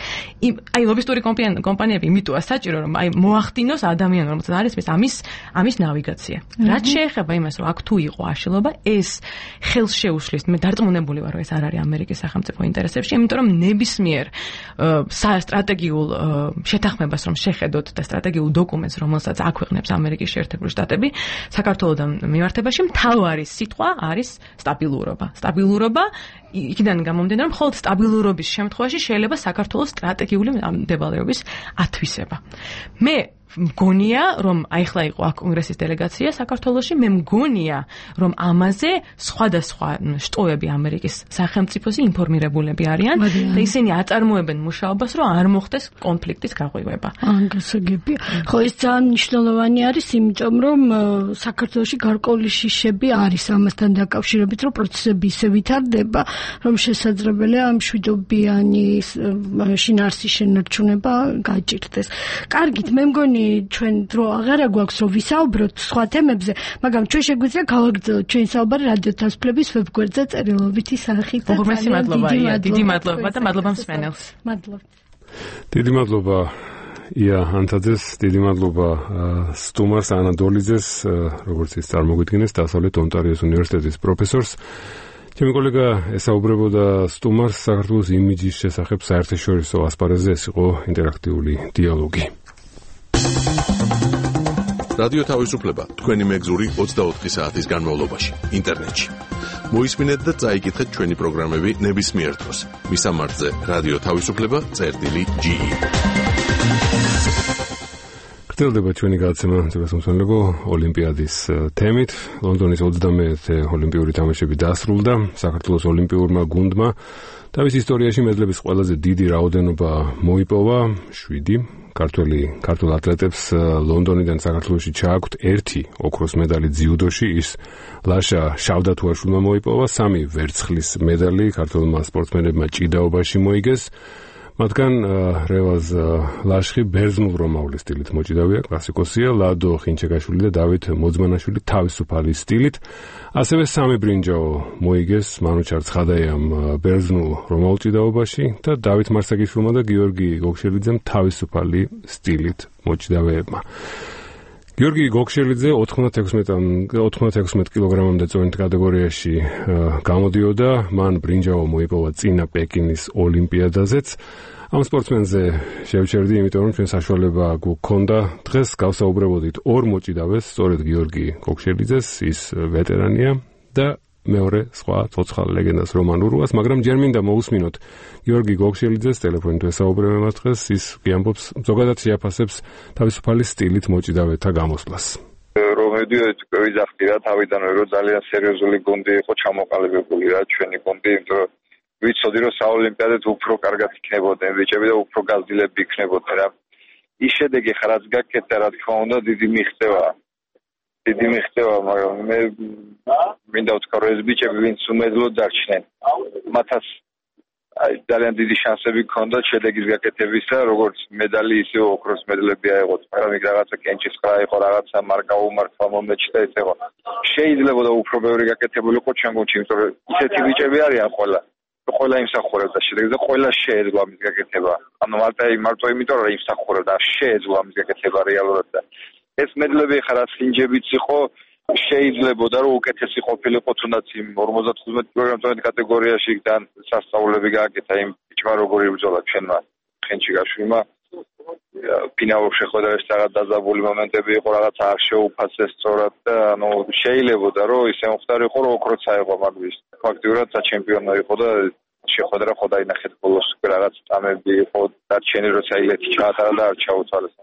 აი ლობისტური კომპანიები იმიტოა საჭირო რომ აი მოახდინოს ადამიანი რომელსაც არის ამის ნავიგაცია. რაც შეეხება იმას რომ აქ თუ იყო აშლილობა ეს ხელს შეუშლის მე დარწმუნებული ვარ რომ ეს არ არის ამერიკის სახელმწიფო ინტერესებში იმიტომ რომ ნებისმიერ სტრატეგიულ შეთანხმებას რომ შეხედოთ და სტრატეგიულ დოკუმენტს რომელსაც აქვეყნებს ამერიკის შეერთებული შტატები საქართველოსთან მიმართებაში მთავარი სიტყვა არის სტაბილურობა იქიდან გამომდინარე რომ მხოლოდ სტაბილურობის შემთხვევაში შეიძლება საქართველოს სტრატეგიული მდებარეობის ათვისება მე მგონია რომ აიხლა იყო აქ კონგრესის დელეგაცია საქართველოში მე მგონია რომ ამაზე სხვადასხვა შტოები ამერიკის სახელმწიფოსი ინფორმირებულები არიან და ისინი აწარმოებენ მუშაობას რომ არ მოხდეს კონფლიქტის გაღვივება გასაგებია ხო ეს ძალიან მნიშვნელოვანი არის იმიტომ რომ საქართველოში გარკვეული შიშები არის ამასთან დაკავშირებით რომ პროცესები ისე ვითარდება რომ შესაძლებელია მშვიდობიანი შინაარსის შენარჩუნება გაჭირდეს კარგით მე მგონი ჩვენ დრო აღარა გვაქვს რომ ვისაუბროთ სხვა თემებზე, მაგრამ ჩვენ შეგვიძლია გავაგრძელოთ ჩვენ საუბარი რადიო თასმფლების ვებგვერდზე წერილობითი სახით. დიდი მადლობა და მადლობა მსმენელს. მადლობა. დიდი მადლობა ია ანთაძეს, დიდი მადლობა სტუმარს ანა დოლიძეს, როგორც ის წარმოგვიდგინეს, დასავლეთ ონტარიოს უნივერსიტეტის პროფესორს. ჩემი კოლეგა ესაუბრებოდა სტუმარს საქართველოს იმიჯის შესახებ საერთაშორისო ასპარეზზე, ეს იყო ინტერაქტიული დიალოგი. რადიო თავისუფლება თქვენი მეგზური 24 საათის განმავლობაში ინტერნეტში. მოისმინეთ და წაიკითხეთ ჩვენი პროგრამები ნებისმიერ დროს. მისამართზე რადიო თავისუფლება.ge. გრძელდება ჩვენი გადაცემა ძვირადღირებულ ოლიმპიადის თემით. ლონდონის 21-ე ოლიმპიური თამაშები დასრულდა. საქართველოს ოლიმპიურმა გუნდმა თავის ისტორიაში მედლების ყველაზე დიდი რაოდენობა მოიპოვა 7. ქართულ ატლეტებს ლონდონიდან საქართველოში ჩააქვთ 1 ოქროს medali ძიუდოში, ის ლაშა შავდათუაშვილმა მოიპოვა, 3 ვერცხლის medali ქართულმა სპორტსმენებმა ჭიდაობაში მოიგეს. მათგან რევაზ ლაშხი ბერძნულ რომაული სტილით მოჭიდავია, კლასიკოსია, ლადო ხინჩეკაშვილი და დავით მოძმანაშვილი თავისუფალი სტილით. ასევე 3 ბრინჯაო მოიგეს მანუჩარ ცხადაიამ ბერძნულ რომაულ ჭიდაობაში და დავით მარსაგიშვილმა და გიორგი გოგშელიძემ თავისუფალი სტილით მოჭიდავეებმა. გიორგი გოგშელიძე 96 კილოგრამამდე წონით კატეგორიაში გამოდიოდა, მან ბრინჯაო მოიპოვა წინა პეკინის ოლიმპიადაზეც. ამ სპორტსმენზე შევჩერდი, იმიტომ რომ ჩვენ საშუალება გვქონდა დღეს გავსაუბრებოდით ორ მოჭიდავეს, სწორედ გიორგი გოგშელიძეს, ის ვეტერანია და მეორე სხვა ცოცხალ ლეგენდას რომან ურუას, მაგრამ ჯერ მინდა მოусმინოთ გიორგი გოგშელიძეს ტელეფონით ვესაუბრებთ მას დღეს, ის გიამბობს ზოგადად შეაფასებს თავისუფალი სტილით მოჭიდავეთა გამოსვლას. რომ მედიოეთ ვიზახდი რა თავიდანვე რომ ძალიან სერიოზული გუნდი იყო ჩამოყალიბებული რა ჩვენი გუნდი, იმიტომ რომ ვიცოდი რომ საოლიმპიადეთ უფრო კარგად იქნებოდნენ ბიჭები და უფრო გაზრდილები იქნებოდნენ რა. ის შედეგი ხა რაც გაკეთდა და რა თქმა უნდა დიდი მიღწევა, მაგრამ მე მინდა ვთქვა რომ ეს ბიჭები ვინც უმედლოდ დარჩნენ მათაც ძალიან დიდი შანსები ჰქონდათ შედეგის გაკეთებისა, როგორც medali ისე ოქროს medalები აიღოთ, მაგრამ იქ რაღაცა კენჭისყრა იყო, რაღაცა მარკა უმართვა მომეჩნდა ეს იყო. შეიძლება და უფრო ბევრი გაკეთებულიყო ჩვენ გუნდში, იმიტომ რომ ისეთი ბიჭები არიან ყველა იმსახურებდა შედეგს და ყველა შეეძლო ამის გაკეთება. ანუ მარტო იმიტომ რომ იმსახურებდა, შეეძლო ამის გაკეთება რეალურად და ეს medalები ხა რაც ხინჯებიც იყო შეიძლებოდა რომ უკეთესი ყოფილიყო თუნდაც იმ 55 კილოგრამის კატეგორიაში და სასწაულები გააკეთა იმ ბიჭმა როგორი ბრძოლა ჩვენმა ხენჩიკაშვილმა ფინალურ შეხვედრაში რაღაც დაძაბული მომენტები იყო, რაღაც არ შეუფასეს სწორად და ანუ შეიძლებოდა რომ ისე მოხდარიყო რომ ოქროც აიღო მაგვის. ფაქტიურად საჩემპიონო იყო და შეხვედრა ხო დაინახეთ ბოლოს რაღაც წამები იყო დარჩენი როცა ილეთი ჩაატარა და არ ჩაუთვალეს.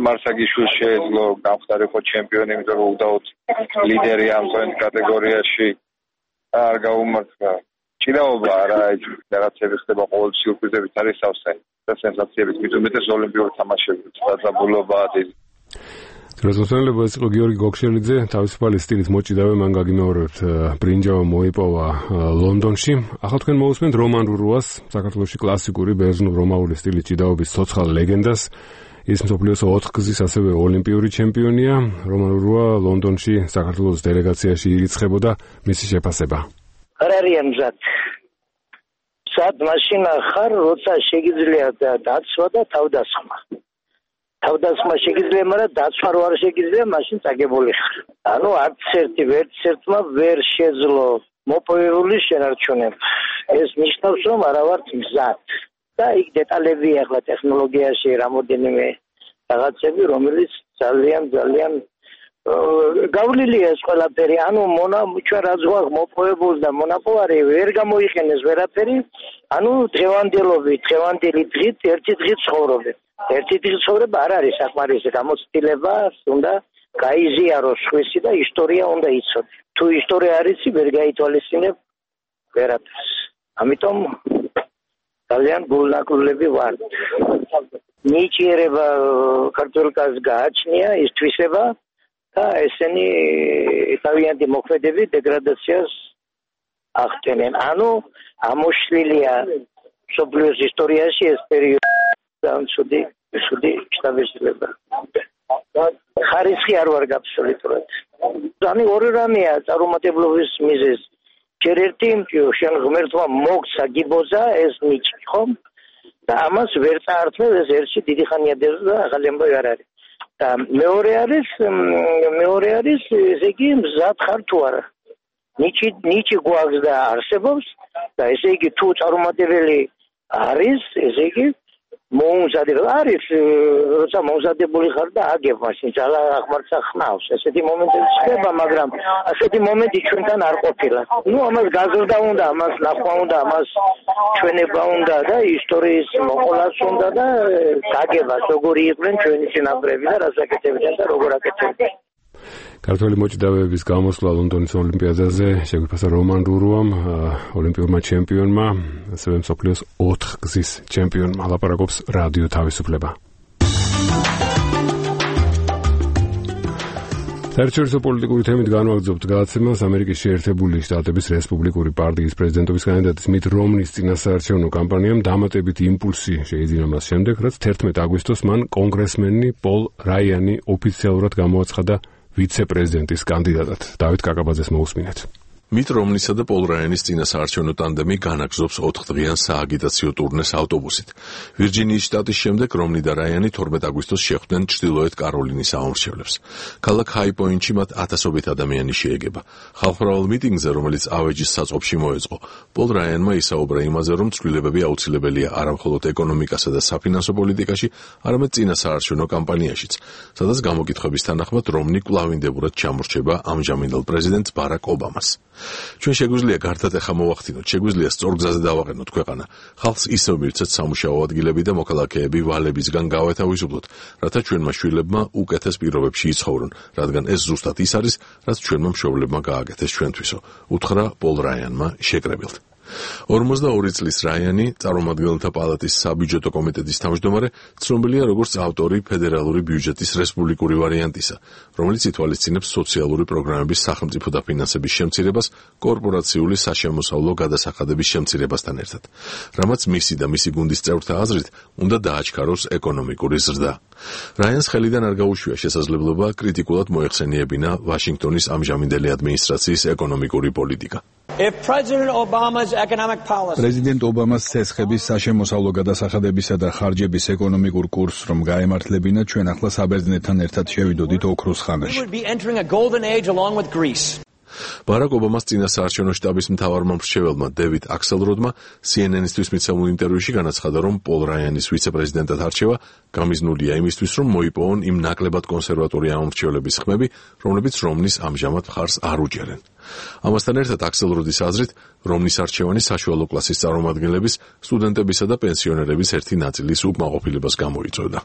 მარსაგიშვილს შეეძლო გამხდარიყო ჩემპიონი, იმიტომ რომ უდაოდ ლიდერი ამ კატეგორიაში არ გაუმართლა. ჭიდაობა არა, რაღაცები ხდება ყოველ სიურპრიზებით არის სავსე და სენსაციებით, მithumetes ოლიმპიური თამაშები დაძაბულობაა დიდი. რეზოლუციონალები ეს იყო გიორგი გოგშელიძე, თავისუფალი სტილით მოჭიდავე, მან გაგიმეორებთ ბრინჯაო მოიპოვა ლონდონში. ახლა თქვენ მოусმენთ რომან ურუას, საქართველოში კლასიკური ბერძნულ რომაული სტილის ჭიდაობის ცოცხალ ლეგენდას. ის მსოფლიოს 4 გზის ასევე ოლიმპიური ჩემპიონია. რომან რუა ლონდონში საქართველოს დელეგაციაში ირიცხებოდა მისი შეფასება. არ არიან მზად. სად მაშინა ხარ, როცა შეგიძლია დაცვა და თავდასხმა. თავდასხმა შეგიძლია, მაგრამ დაცვა რო არ შეგიძლია, მაშინ წაგებული ხარ. ანუ არც ერთმა ვერ შეძლო მოპოვებული შენარჩუნება. ეს ნიშნავს, რომ არა ვართ მზად. და იქ დეტალებია ახლა ტექნოლოგიაში რამოდენიმე რაღაცები, რომელიც ძალიან გავლილია ეს ყველაფერი. ანუ ჩვენ რაც გვაქვს მოპოვებული და მონაპოვარი ვერ გამოიყენეს ვერაფერი. ანუ დღევანდელი დღით ერთი დღით ცხოვრობენ. ერთი დღით ცხოვრება არ არის საკმარისი გამოცდილება, უნდა გაიზიაროს ხვისი და ისტორია უნდა იცოდე. თუ ისტორია არ იცი, ვერ გაითვალისწინებ ვერაფერს. ამიტომ ძალიან გულნაკლები ვართ. ნიჭიერება ქართულ კაცს გააჩნია, ის თვისება და ესენი თავიანთი მოქმედები დეგრადაციას ახდენენ. ანუ ამოშლილია მსოფლიოს ისტორიაში ეს პერიოდი და ცუდი შთაბეჭდილება. ხარისხი არ ვარ აბსოლუტურად. ანუ ორი რამეა წარუმატებლობის მიზეზი. ჯერ ერთი შენ ღმერთმა მოგცა გიბოძა ეს ნიჭი, ხო? და ამას ვერ წაართმევ, ეს ერთში დიდი ხანია დევს და ახალი ამბავი არ არის. და მეორე არის ესე იგი მზად ხარ თუ არა. ნიჭი გვაქვს და არსებობს და ესე იგი თუ წარუმატებელი არის, ესე იგი მოუმზადება არის, როცა მოუმზადებული ხარ და აგებ მაშინ ძალა აღმარცა ხნავს. ესეთი მომენტები ხდება, მაგრამ ასეთი მომენტი ჩვენთან არ ყოფილა. ამას გაზრდა უნდა, ამას ნახვა უნდა, ამას ჩვენება უნდა და ისტორიის მოყოლაც უნდა და გაგებას როგორი იყვნენ ჩვენი წინაპრები და რას აკეთებდნენ და როგორ აკეთებდნენ. ქართველი მოჭიდავეების გამოსვლა ლონდონის ოლიმპიადაზე შეგვიფასა რომან რურუამ, ოლიმპიურმა ჩემპიონმა, ასევე მსოფლიოს 4 გზის ჩემპიონმა. ლაპარაკობს რადიო თავისუფლება. საერთაშორისო პოლიტიკური თემით განვაგრძობთ გადაცემას ამერიკის შეერთებული შტატების რესპუბლიკური პარტიის პრეზიდენტობის კანდიდატის მით რომნის წინასაარჩევნო კამპანიამ დამატებითი იმპულსი შეიძინა მას შემდეგ, რაც 11 აგვისტოს მან კონგრესმენი პოლ რაიანი ოფიციალურად გამოაცხადა ვიცე-პრეზიდენტის კანდიდატად. დავით კაკაბაძეს მოусმინეთ. მით რომნისა და პოლ რაიანის წინასაარჩევნო ტანდემი განაგზობს 4-დღიან სააგიტაციო ტურნეს ავტობუსით. ვირჯინიის შტატის შემდეგ რომნი და რაიანი 12 აგვისტოს შეხვდნენ ჩრდილოეთ კაროლინის აუმრჩევლებს. ქალაქ ჰაი-პოინტში მათ ათასობით ადამიანი შეეგება. ხალხმრავალ მიტინგზე, რომელიც ავეჯის საწყობში მოეწყო, პოლ რაიანმა ისაუბრა იმაზე, რომ ცვლილებები აუცილებელია არამხოლოდ ეკონომიკასა და საფინანსო პოლიტიკაში, არამედ წინასაარჩევნო კამპანიაშიც, სადაც გამოკითხების თანახმად რომნი კვლავინდებურად ჩამორჩება ამჟამინდელ პრეზიდენტ ბარაკ ობამას. ჩვენ შეგვიძლია გარდატეხა მოვახდინოთ, შეგვიძლია სწორ გზაზე დავაყენოთ ქვეყანა. ხალხს ისევ მივცეთ სამუშაო ადგილები და მოქალაქეები ვალებისგან გავეთავისუფლოთ, რათა ჩვენმა შვილებმა უკეთეს პირობებში იცხოვრონ, რადგან ეს ზუსტად ის არის, რაც ჩვენმა მშობლებმა გააკეთეს ჩვენთვისო, უთხრა პოლ რაიანმა შეკრებილთ. 42 წლის რაიანი, წარმომადგენელთა პალატის საბიუჯეტო კომიტეტის თავმჯდომარე, ცნობილია როგორც ავტორი ფედერალური ბიუჯეტის რესპუბლიკური ვარიანტისა, რომელიც ითვალისწინებს სოციალური პროგრამების სახელმწიფო დაფინანსების შემცირებას კორპორაციული საშემოსავლო გადასახადების შემცირებასთან ერთად, რამაც მისი და მისი გუნდის წევრთა აზრით უნდა დააჩქაროს ეკონომიკური ზრდა. რაიანს ხელიდან არ გაუშვია შესაძლებლობა კრიტიკულად მოეხსენიებინა ვაშინგტონის ამჟამინდელი ადმინისტრაციის ეკონომიკური პოლიტიკა. პრეზიდენტ ობამას ცეცხების საშემოსავლო გადასახადებისა და ხარჯების ეკონომიკურ კურსს რომ გაემართლებინა, ჩვენ ახლა საბერძნეთთან ერთად შევიდოდით ოქროს ხანაში. ბარაკ ობამას წინასაარჩევნო შტაბის მთავარმა მრჩეველმა დევიდ აქსელროდმა CNN-ისთვის მიცემულ ინტერვიუში განაცხადა, რომ პოლ რაიანის ვიცე-პრეზიდენტად არჩევა გამიზნულია იმისთვის, რომ მოიპოვონ იმ ნაკლებად კონსერვატორი ამომრჩევლების ხმები, რომლებიც რომნის ამჟამად მხარს არ უჭერენ. ამასთან ერთად აქსელროდის აზრით, რომნის არჩევანი საშუალო კლასის წარმომადგენლების, სტუდენტებისა და პენსიონერების ერთი ნაწილის უკმაყოფილებას გამოიწვევდა.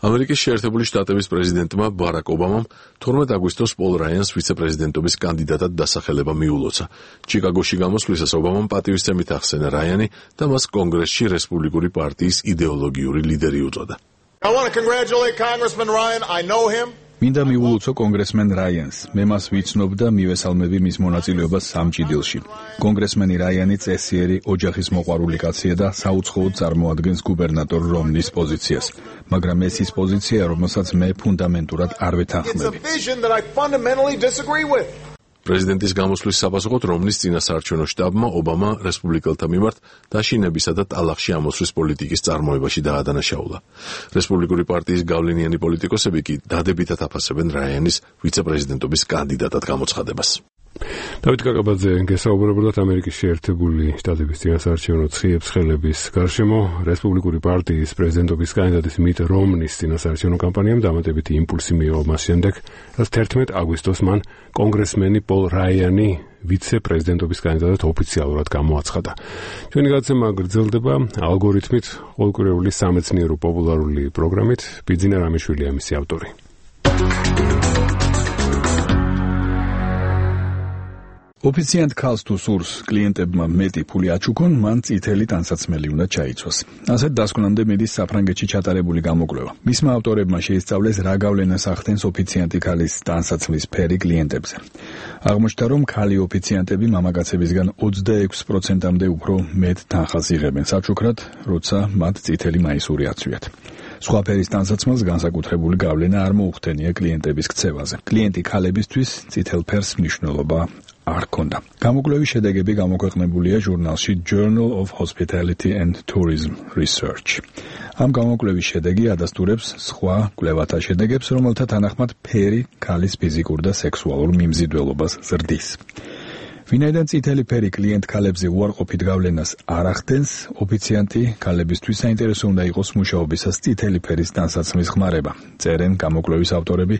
ამერიკის შეერთებული შტატების პრეზიდენტმა ბარაკ ობამამ 12 აგვისტოს პოლ რაიანს ვიცე-პრეზიდენტობის კანდიდატად დასახელება მიულოცა. ჩიკაგოში გამოსვლისას ობამამ პატივისცემით ახსენა რაიანი და მას კონგრესში რესპუბლიკური პარტიის იდეოლოგიური ლიდერი უწოდა. მინდა მიულოცო კონგრესმენ რაიანს. მე მას ვიცნობ და მივესალმები მის მონაწილეობას სამჭიდელში. კონგრესმენი რაიანი წესიერი ოჯახის მოყვარული კაცია და საუცხოოდ წარმოადგენს გუბერნატორ რომნის პოზიციას. მაგრამ ეს ის პოზიცია, რომელსაც მე ფუნდამენტურად არ ვეთანხმები. პრეზიდენტის გამოსვლის საფასუხოდ რომნის წინასაარჩევნო შტაბმა ობამა რესპუბლიკელთა მიმართ დაშინებისა და ტალახში ამოსვლის პოლიტიკის წარმოებაში დაადანაშაულა. რესპუბლიკური პარტიის გავლენიანი პოლიტიკოსები კი დადებითად აფასებენ რაიანის ვიცე-პრეზიდენტობის კანდიდატად გამოცხადებას. დავით კაკაბაძე გესაუბრებოდათ ამერიკის შეერთებული შტატების წინასაარჩევნო ცხიებს ხელების გარშემო. რესპუბლიკური პარტიის პრეზიდენტობის კანდიდატის მიტ რომნის წინასაარჩევნო კამპანიამ დამატებითი იმპულსი მიიღო მას შემდეგ, რაც 11 აგვისტოს მან კონგრესმენი პოლ რაიანი ვიცე-პრეზიდენტობის კანდიდატად ოფიციალურად გამოაცხადა. ჩვენი გადაცემა გრძელდება ალგორითმით, ყოველკვირეული სამეცნიერო პოპულარული პროგრამით. ბიძინა რამიშვილია მისი ავტორი. ოფიციანტ ქალს თუ სურს კლიენტებმა მეტი ფული აჩუქონ, მან წითელი ტანსაცმელი უნდა ჩაიცვას. ასეთ დასკვნამდე მიდის საფრანგეთში ჩატარებული გამოკვლევა. მისმა ავტორებმა შეისწავლეს რა გავლენას ახდენს ოფიციანტი ქალის ტანსაცმლის ფერი კლიენტებზე. აღმოჩნდა, რომ ქალი ოფიციანტები მამაკაცებისგან 26%-მდე უფრო მეტ თანხას იღებენ საჩუქრად, როცა მათ წითელი მაისური აცვიათ. სხვა ფერის ტანსაცმელს განსაკუთრებული გავლენა არ მოუხდენია კლიენტების ქცევაზე. კლიენტი ქალებისთვის წითელ ფერს მნიშვნელობა არ ჰქონდა. გამოკვლევის შედეგები გამოქვეყნებულია ჟურნალში Journal of Hospitality and Tourism Research. ამ გამოკვლევის შედეგი ადასტურებს სხვა კვლევათა შედეგებს, რომელთა თანახმად ფერი ქალის ფიზიკურ და სექსუალურ მიმზიდველობას ზრდის. ვინაიდან წითელი ფერი კლიენტ ქალებზე უარყოფით გავლენას არ ახდენს, ოფიციანტი ქალებისთვის საინტერესო უნდა იყოს მუშაობისას წითელი ფერის ტანსაცმლის ხმარება. წერენ გამოკვლევის ავტორები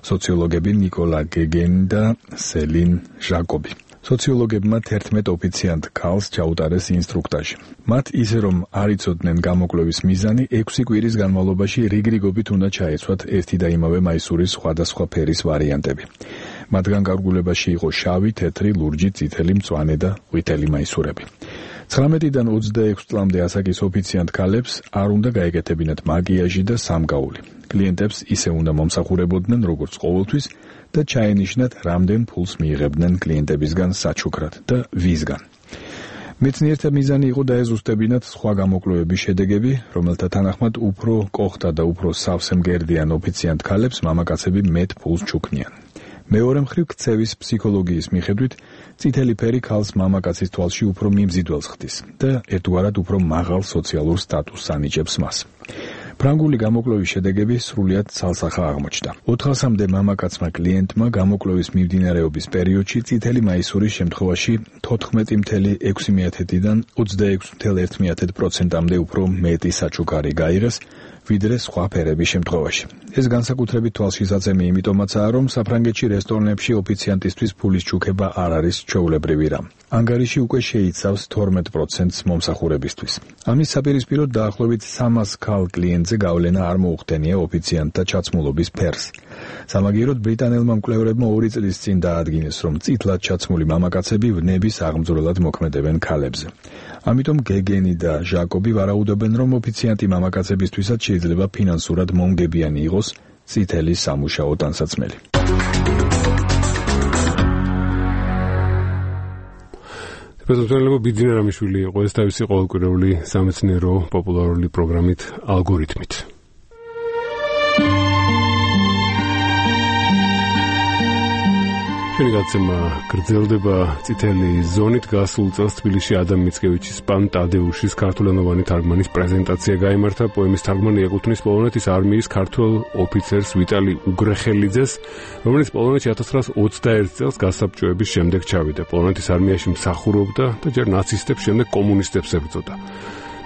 სოციოლოგები ნიკოლა გეგენი და სელინ ჟაკობი. სოციოლოგებმა 11 ოფიციანტ ქალს ჩაუტარეს ინსტრუქტაჟი. მათ ისე რომ არ იცოდნენ გამოკვლევის მიზანი, 6 კვირის განმავლობაში რიგრიგობით უნდა ჩაეცვათ ერთი და იმავე მაისურის სხვადასხვა ფერის ვარიანტები. მათგან გარგულებაში იყო შავი, თეთრი, ლურჯი, წითელი, მწვანე და ყვითელი მაისურები. 19-დან 26 წლამდე ასაკის ოფიციანტ ქალებს არ უნდა გაეკეთებინათ მაკიაჟი და სამგაული. კლიენტებს ისე უნდა მომსახურებოდნენ როგორც ყოველთვის და ჩაენიშნათ, რამდენ ფულს მიიღებდნენ კლიენტებისგან საჩუქრად და ვისგან. მეცნიერთა მიზანი იყო დაეზუსტებინათ სხვა გამოკვლევების შედეგები, რომელთა თანახმად უფრო კოხთა და უფრო სავსე მგერდიან ოფიციანტ ქალებს მამაკაცები მეტ ფულს ჩუქნიან. მეორე მხრივ ქცევის ფსიქოლოგიის მიხედვით წითელი ფერი ქალს მამაკაცის თვალში უფრო მიმზიდველს ხდის და ერთგვარად უფრო მაღალ სოციალურ სტატუსს ანიჭებს მას. ფრანგული გამოკვლევის შედეგები სრულიად ცალსახა აღმოჩნდა. 400-მდე მამაკაცმა კლიენტმა გამოკვლევის მიმდინარეობის პერიოდში წითელი მაისურის შემთხვევაში 14.6%-დან 26.1%-მდე უფრო მეტი საჩუქარი გაიღეს, ვიდრე სხვა ფერების შემთხვევაში. ეს განსაკუთრებით თვალშისაცემი იმიტომაცაა, რომ საფრანგეთში რესტორნებში ოფიციანტისთვის ფულის ჩუქება არ არის ჩვეულებრივი რამ. ანგარიში უკვე შეიცავს 12%-ს მომსახურებისთვის. ამის საპირისპიროდ დაახლოებით 300 ქალ კლიენტზე გავლენა არ მოუხდენია ოფიციანტთა ჩაცმულობის ფერს. სამაგიეროდ ბრიტანელმა მკვლევრებმა 2 წლის წინ დაადგინეს, რომ წითლად ჩაცმული მამაკაცები ვნების აღმძვრელად მოქმედებენ ქალებზე. ამიტომ გეგენი და ჟაკობი ვარაუდობენ, რომ ოფიციანტი მამაკაცებისთვისაც შეიძლება ფინანსურად მომგებიანი იყოს წითელი სამუშაო ტანსაცმელი. პრეზიდენტი ბიძინა რამიშვილი იყო ეს თავისი ყოველკვირეული სამეცნიერო პოპულარული პროგრამით ალგორითმით. ჩვენი გადაცემა გრძელდება წითელი ზონით. გასულ წელს თბილისში ადამ მიცკევიჩის პან ტადეუშის ქართულენოვანი თარგმანის პრეზენტაცია გაიმართა. პოემის თარგმანი ეკუთვნის პოლონეთის არმიის ქართველ ოფიცერს ვიტალი უგრეხელიძეს, რომელიც პოლონეთში 1921 წელს გასაბჭოების შემდეგ ჩავიდა. პოლონეთის არმიაში მსახურობდა და ჯერ ნაცისტებს, შემდეგ კომუნისტებს ებრძოდა.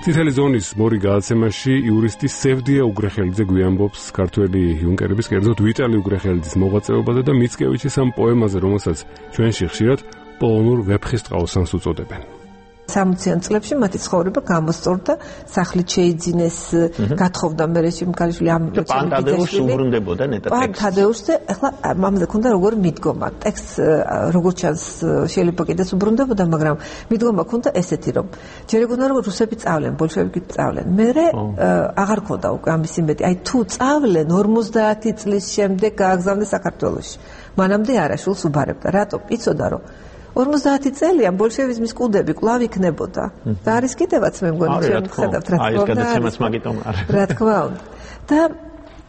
წითელი ზონის მორიგ გადაცემაში იურისტი სევდია უგრეხელიძე გვიამბობს ქართველი იუნკერების, კერძოდ ვიტალი უგრეხელიძის მოღვაწეობაზე და მიცკევიჩის ამ პოემაზე, რომელსაც ჩვენში ხშირად პოლონურ ვეფხისტყაოსანს უწოდებენ. 60-იან წლებში მათი ცხოვრება გამოსწორდა, სახლით შეიძინეს, გათხოვდა მერე შემკალიშვილი ამ პანტადეუსს უბრუნდებოდა ნეტა ტექსტს. პანტადეუსზე ახლა მამზე ქონდა როგორ მიდგომა. ტექსტს როგორც ჩანს შეიძლება კიდეც უბრუნდებოდა, მაგრამ მიდგომა ქონდა ესეთი რომ ჯერ ეგონა რომ რუსები წავლენ, ბოლშევიკები წავლენ. მერე აღარ ქონდა უკვე ამის იმედი. აი თუ წავლენ 50 წლის შემდეგ გააგზავნეს საქართველოში. მანამდე არა შულს უბარებდა. რატო? იცოდა რომ 50 წელიან ბოლშევიზმის კუდები კვლავ იქნებოდა. და არის კიდევაც მე მგონი ჩვენ ხედავთ რა თქმა უნდა. და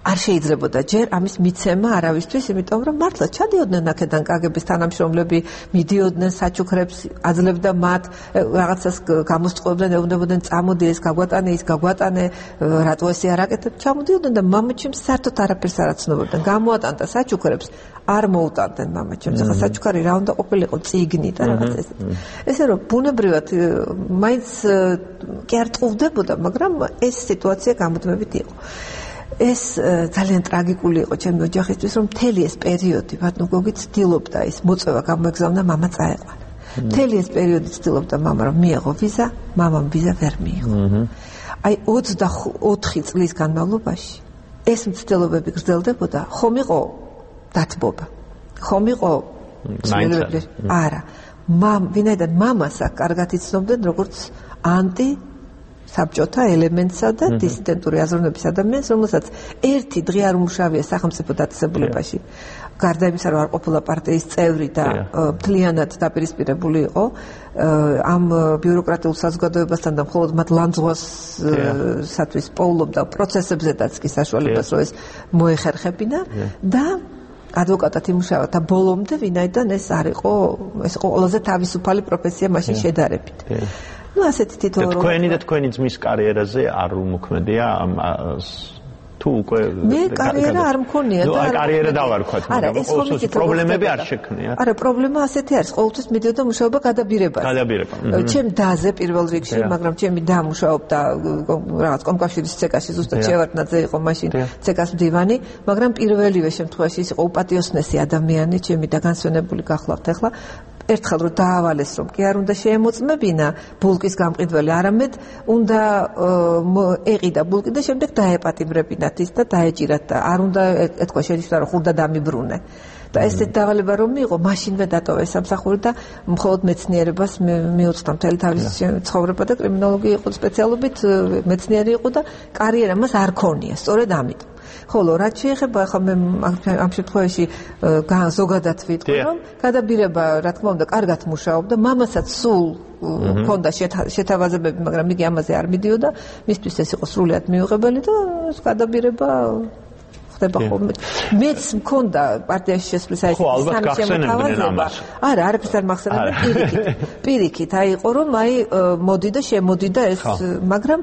არ შეიძლებოდა ჯერ ამის მიცემა არავისთვის, იმიტომ რომ მართლა ჩადიოდნენ აქედან კგბ-ის თანამშრომლები, მიდიოდნენ საჩუქრებს, აძლევდა მათ რაღაცას გამოსწყვებდნენ, ეუბნებოდნენ წამოდი ეს გაგვატანე, ის გაგვატანე, რატო ესე არ აკეთებ, ჩამოდიოდნენ და მამაჩემს საერთოდ არაფერს არ აცნობდნენ. გამოატანდა საჩუქრებს, არ მოუტანდნენ მამაჩემს. ახლა საჩუქარი რა უნდა ყოფილიყო, წიგნი და რაღაც ესეთი. ესე რომ ბუნებრივად მაინც კი არ ტყუვდებოდა, მაგრამ ეს სიტუაცია გამუდმებით იყო. ეს ძალიან ტრაგიკული იყო ჩემი ოჯახისთვის, რომ მთელი ეს პერიოდი ბატონო გოგი ცდილობდა ის მოწვევა გამოეგზავნა, მამა წაეყარა. მთელი ეს პერიოდი ცდილობდა მამა რომ მიეღო ვიზა, მამამ ვიზა ვერ მიიღო. აი 24 წლის განმავლობაში ეს მცდელობები გრძელდებოდა, ხომ იყო დათბობა. ხომ იყო არა. ვინაიდან მამას აქ კარგად იცნობდნენ როგორც ანტი საბჭოთა ელემენტსა და დისიდენტური აზროვნების ადამიანს, რომელსაც ერთი დღე არ უმუშავია სახელმწიფო დაწესებულებაში. გარდა იმისა, რომ არ ყოფილა პარტიის წევრი და მთლიანად დაპირისპირებული იყო ამ ბიუროკრატიულ საზოგადოებასთან და მხოლოდ მათ ლანძღვასათვის პოულობდა პროცესებზედაც კი საშუალებას, რომ ეს მოეხერხებინა და ადვოკატად იმუშავა და ბოლომდე ვინაიდან ეს არ იყო, ეს იყო ყველაზე თავისუფალი პროფესია მაშინ შედარებით. ну ასეთი თითო თქვენი და თქვენი ძმის კარიერაზე არ უმოქმედია თუ უკვე მე კარიერა არ მქონია და კარიერა დავარქვათ მაგრამ ყოველთვის პრობლემები არ შექმნიათ არა პრობლემა ასეთი არის ყოველთვის მიდიოდა მუშაობა გადაბირებაზე ჩემ დაზე პირველ რიგში მაგრამ ჩემი და მუშაობდა რაღაც კომკავშირის ცეკაში ზუსტად შევარდნაძე იყო მაშინ ცეკას მდივანი მაგრამ პირველივე შემთხვევაში ის იყო უპატიოსნესი ადამიანი ჩემი და განსვენებული გახლავთ ახლა ერთხელ რომ დაავალეს რომ კი არ უნდა შეემოწმებინა ბულკის გამყიდველი არამედ უნდა ეყიდა ბულკი და შემდეგ დაეპატიმრებინათ ის და დაეჭირათ და არ უნდა ეთქვა შეჯდა რომ ხურდა დამიბრუნე და ესეთ დავალება რომ მიიღო მაშინვე დატოვა ეს სამსახური და მხოლოდ მეცნიერებას მიუძღდა მთელი თავის ცხოვრება და კრიმინოლოგია იყო სპეციალობით მეცნიერი იყო და კარიერა მას არ ქონია სწორედ ამიტომ ხოლო რაც შეეხება ახლა მე ამ შემთხვევაში ზოგადად ვიტყვი რომ გადაბირება რა თქმა უნდა კარგად მუშაობდა მამასაც სულ ჰქონდა შეთავაზებები მაგრამ იგი ამაზე არ მიდიოდა მისთვის ეს იყო სრულიად მიუღებელი და ეს გადაბირება ხდება ხოლმე მეც მქონდა პარტიაში შესვლის აი სამშემოთავაზება არა არაფერს არ მახსენებია პირიქით აი იყო რომ აი მოდი და შემოდი და ეს მაგრამ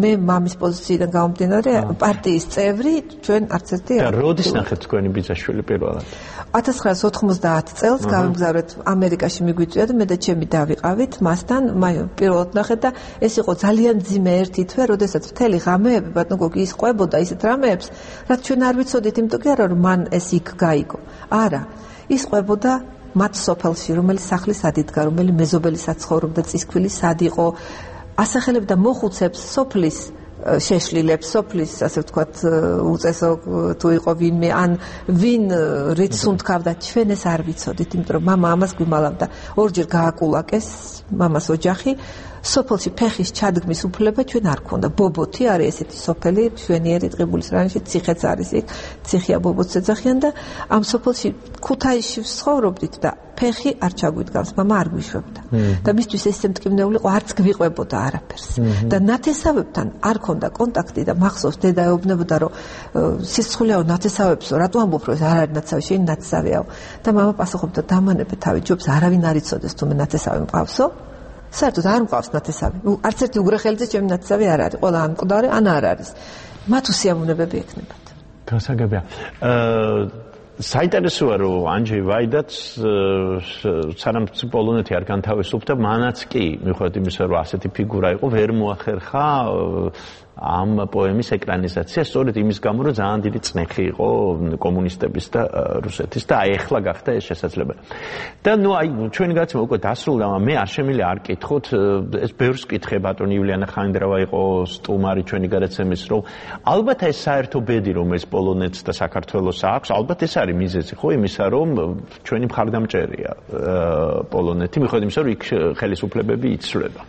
მე მამის პოზიციიდან გამომდინარე პარტიის წევრი ჩვენ არც ერთი და როდის ნახეთ თქვენი ბიძაშვილი პირველად 1990 წელს გავიმგზავრეთ ამერიკაში მიგვიწვია და მე და ჩემი დავიყავით მასთან პირველად ნახეთ და ეს იყო ძალიან ძიმე ერთი თვე როდესაც მთელი ღამეები ბატონო გოგი ის ყვებოდა ისეთ რამეებს რაც ჩვენ არ ვიცოდით იმიტომ კი არა რომ მან ეს იქ გაიგო არა ის ყვებოდა მათ სოფელში რომელიც სახლის ადიდგა რომელიც მეზობელი საცხოვრობდა წისქვილი სად იყო ასახელებდა მოხუცებს სოფლის შეშლილებს სოფლის ასე ვთქვათ უწესო თუ იყო ვინმე ან ვინ რიც უნთქავდა ჩვენ ეს არ ვიცოდით იმიტომ რომ მამა ამას გვიმალავდა ორჯერ გააკულაკეს მამას ოჯახი სოფელში ფეხის ჩადგმის უფლება ჩვენ არ ქონდა ბობოთი არის ესეთი სოფელი ჩვენიერი ტყიბულის რაიონში ციხეც არის იქ ციხია ბობოთს ეძახიან და ამ სოფელში ქუთაისში ვცხოვრობდით და ფეხი არ ჩაგვიდგავს მამა არ გვიშვებდა და მისთვის ეს მტკივნეული ყო არც გვიყვებოდა არაფერს და ნათესავებთან არ ქონდა კონტაქტი და მახსოვს დედა ეუბნებოდა რომ სისხლეაო ნათესავებსო რატო ამბობ რომ ეს არ არის ნათესავი შენი ნათესავიაო და მამა პასუხობდა დამანებე თავი ჯობს არავინ არ იცოდეს თუ მე ნათესავი მყავსო საერთოდ არ მყავს ნათესავი არც ერთი უგრეხელიძე ჩემი ნათესავი არ არის ყველა ან მკვდარი ან არ არის მათ უსიამოვნებები ექნებათ გასაგებია საინტერესოა რომ ანჯეი ვაიდაც სანამ პოლონეთი არ განთავისუფლდა მანაც კი მიუხედავად იმისა რომ ასეთი ფიგურა იყო ვერ მოახერხა ამ პოემის ეკრანიზაცია სწორედ იმის გამო, რომ ძალიან დიდი წნეხი იყო კომუნისტების და რუსეთის და აი ახლა გახდა ეს შესაძლებელი. და ნუ აი ჩვენი გადაცემა უკვე დასრულდა, მე არ შემიძლია არ კითხოთ, ეს ბევრს კითხე ბატონი ივლიანა ხანდრავა იყო სტუმარი ჩვენი გადაცემის, რომ ალბათ ეს საერთო ბედი, რომელიც პოლონეთს და საქართველოს აქვს, ალბათ ეს არის მიზეზი, ხო, იმისა, რომ ჩვენი მხარდამჭერია პოლონეთი, მიუხედავად იმისა, რომ იქ ხელისუფლებები იცვლება.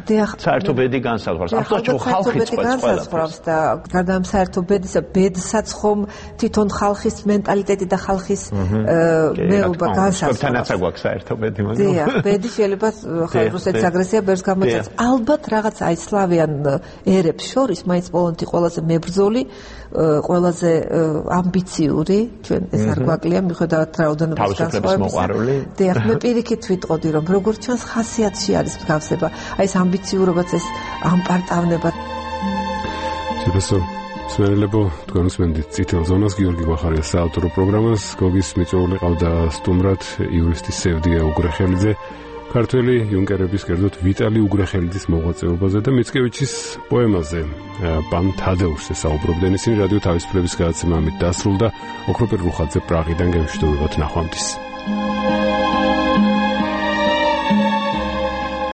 დიახ, საერთო ბედი განსაზღვრავს. აბსოლუტურად ხალხი განსაზღვრავს და გარდა ამ საერთო ბედისა, ბედსაც ხომ თვითონ ხალხის მენტალიტეტი და ხალხის მეუბნება განსაზღვრავს. თანაც აგვაქვს საერთო ბედი, მაგრამ დიახ, ბედი შეიძლება რუსეთის აგრესია ბევრს გამოიწვევს. ალბათ რაღაც აი სლავიან ერებს შორის მაინც პოლონეთი ყველაზე მებრძოლი, ყველაზე ამბიციური, ჩვენ ეს არ გვაკლია, მიუხედავად რაოდენობის განსხვავებისა. დიახ, მე პირიქით ვიტყოდი, რომ როგორც ჩანს ხასიათში არის მსგავსება. აი ეს ამბიციურობაც, ეს ამპარტავნება. ციფესო სმერლებო, თქვენ უსმენთ წითელ ზონას, გიორგი გვახარია საავტორო პროგრამას, გოგის მიწვეული ყავდა სტუმრად იურისტი სევდია უგრეხელიძე, ქართველი იუნკერების კერძოდ ვიტალი უგრეხელიძის მოღვაწეობაზე და მიცკევიჩის პოემაზე პან თადეუსზე საუბრობდნენ. ისინი რადიო თავისუფლების გადაცემა ამით დასრულდა. ოქროპირ რუხაძე პრაღიდან გემშვიდობებათ, ნახვამდის.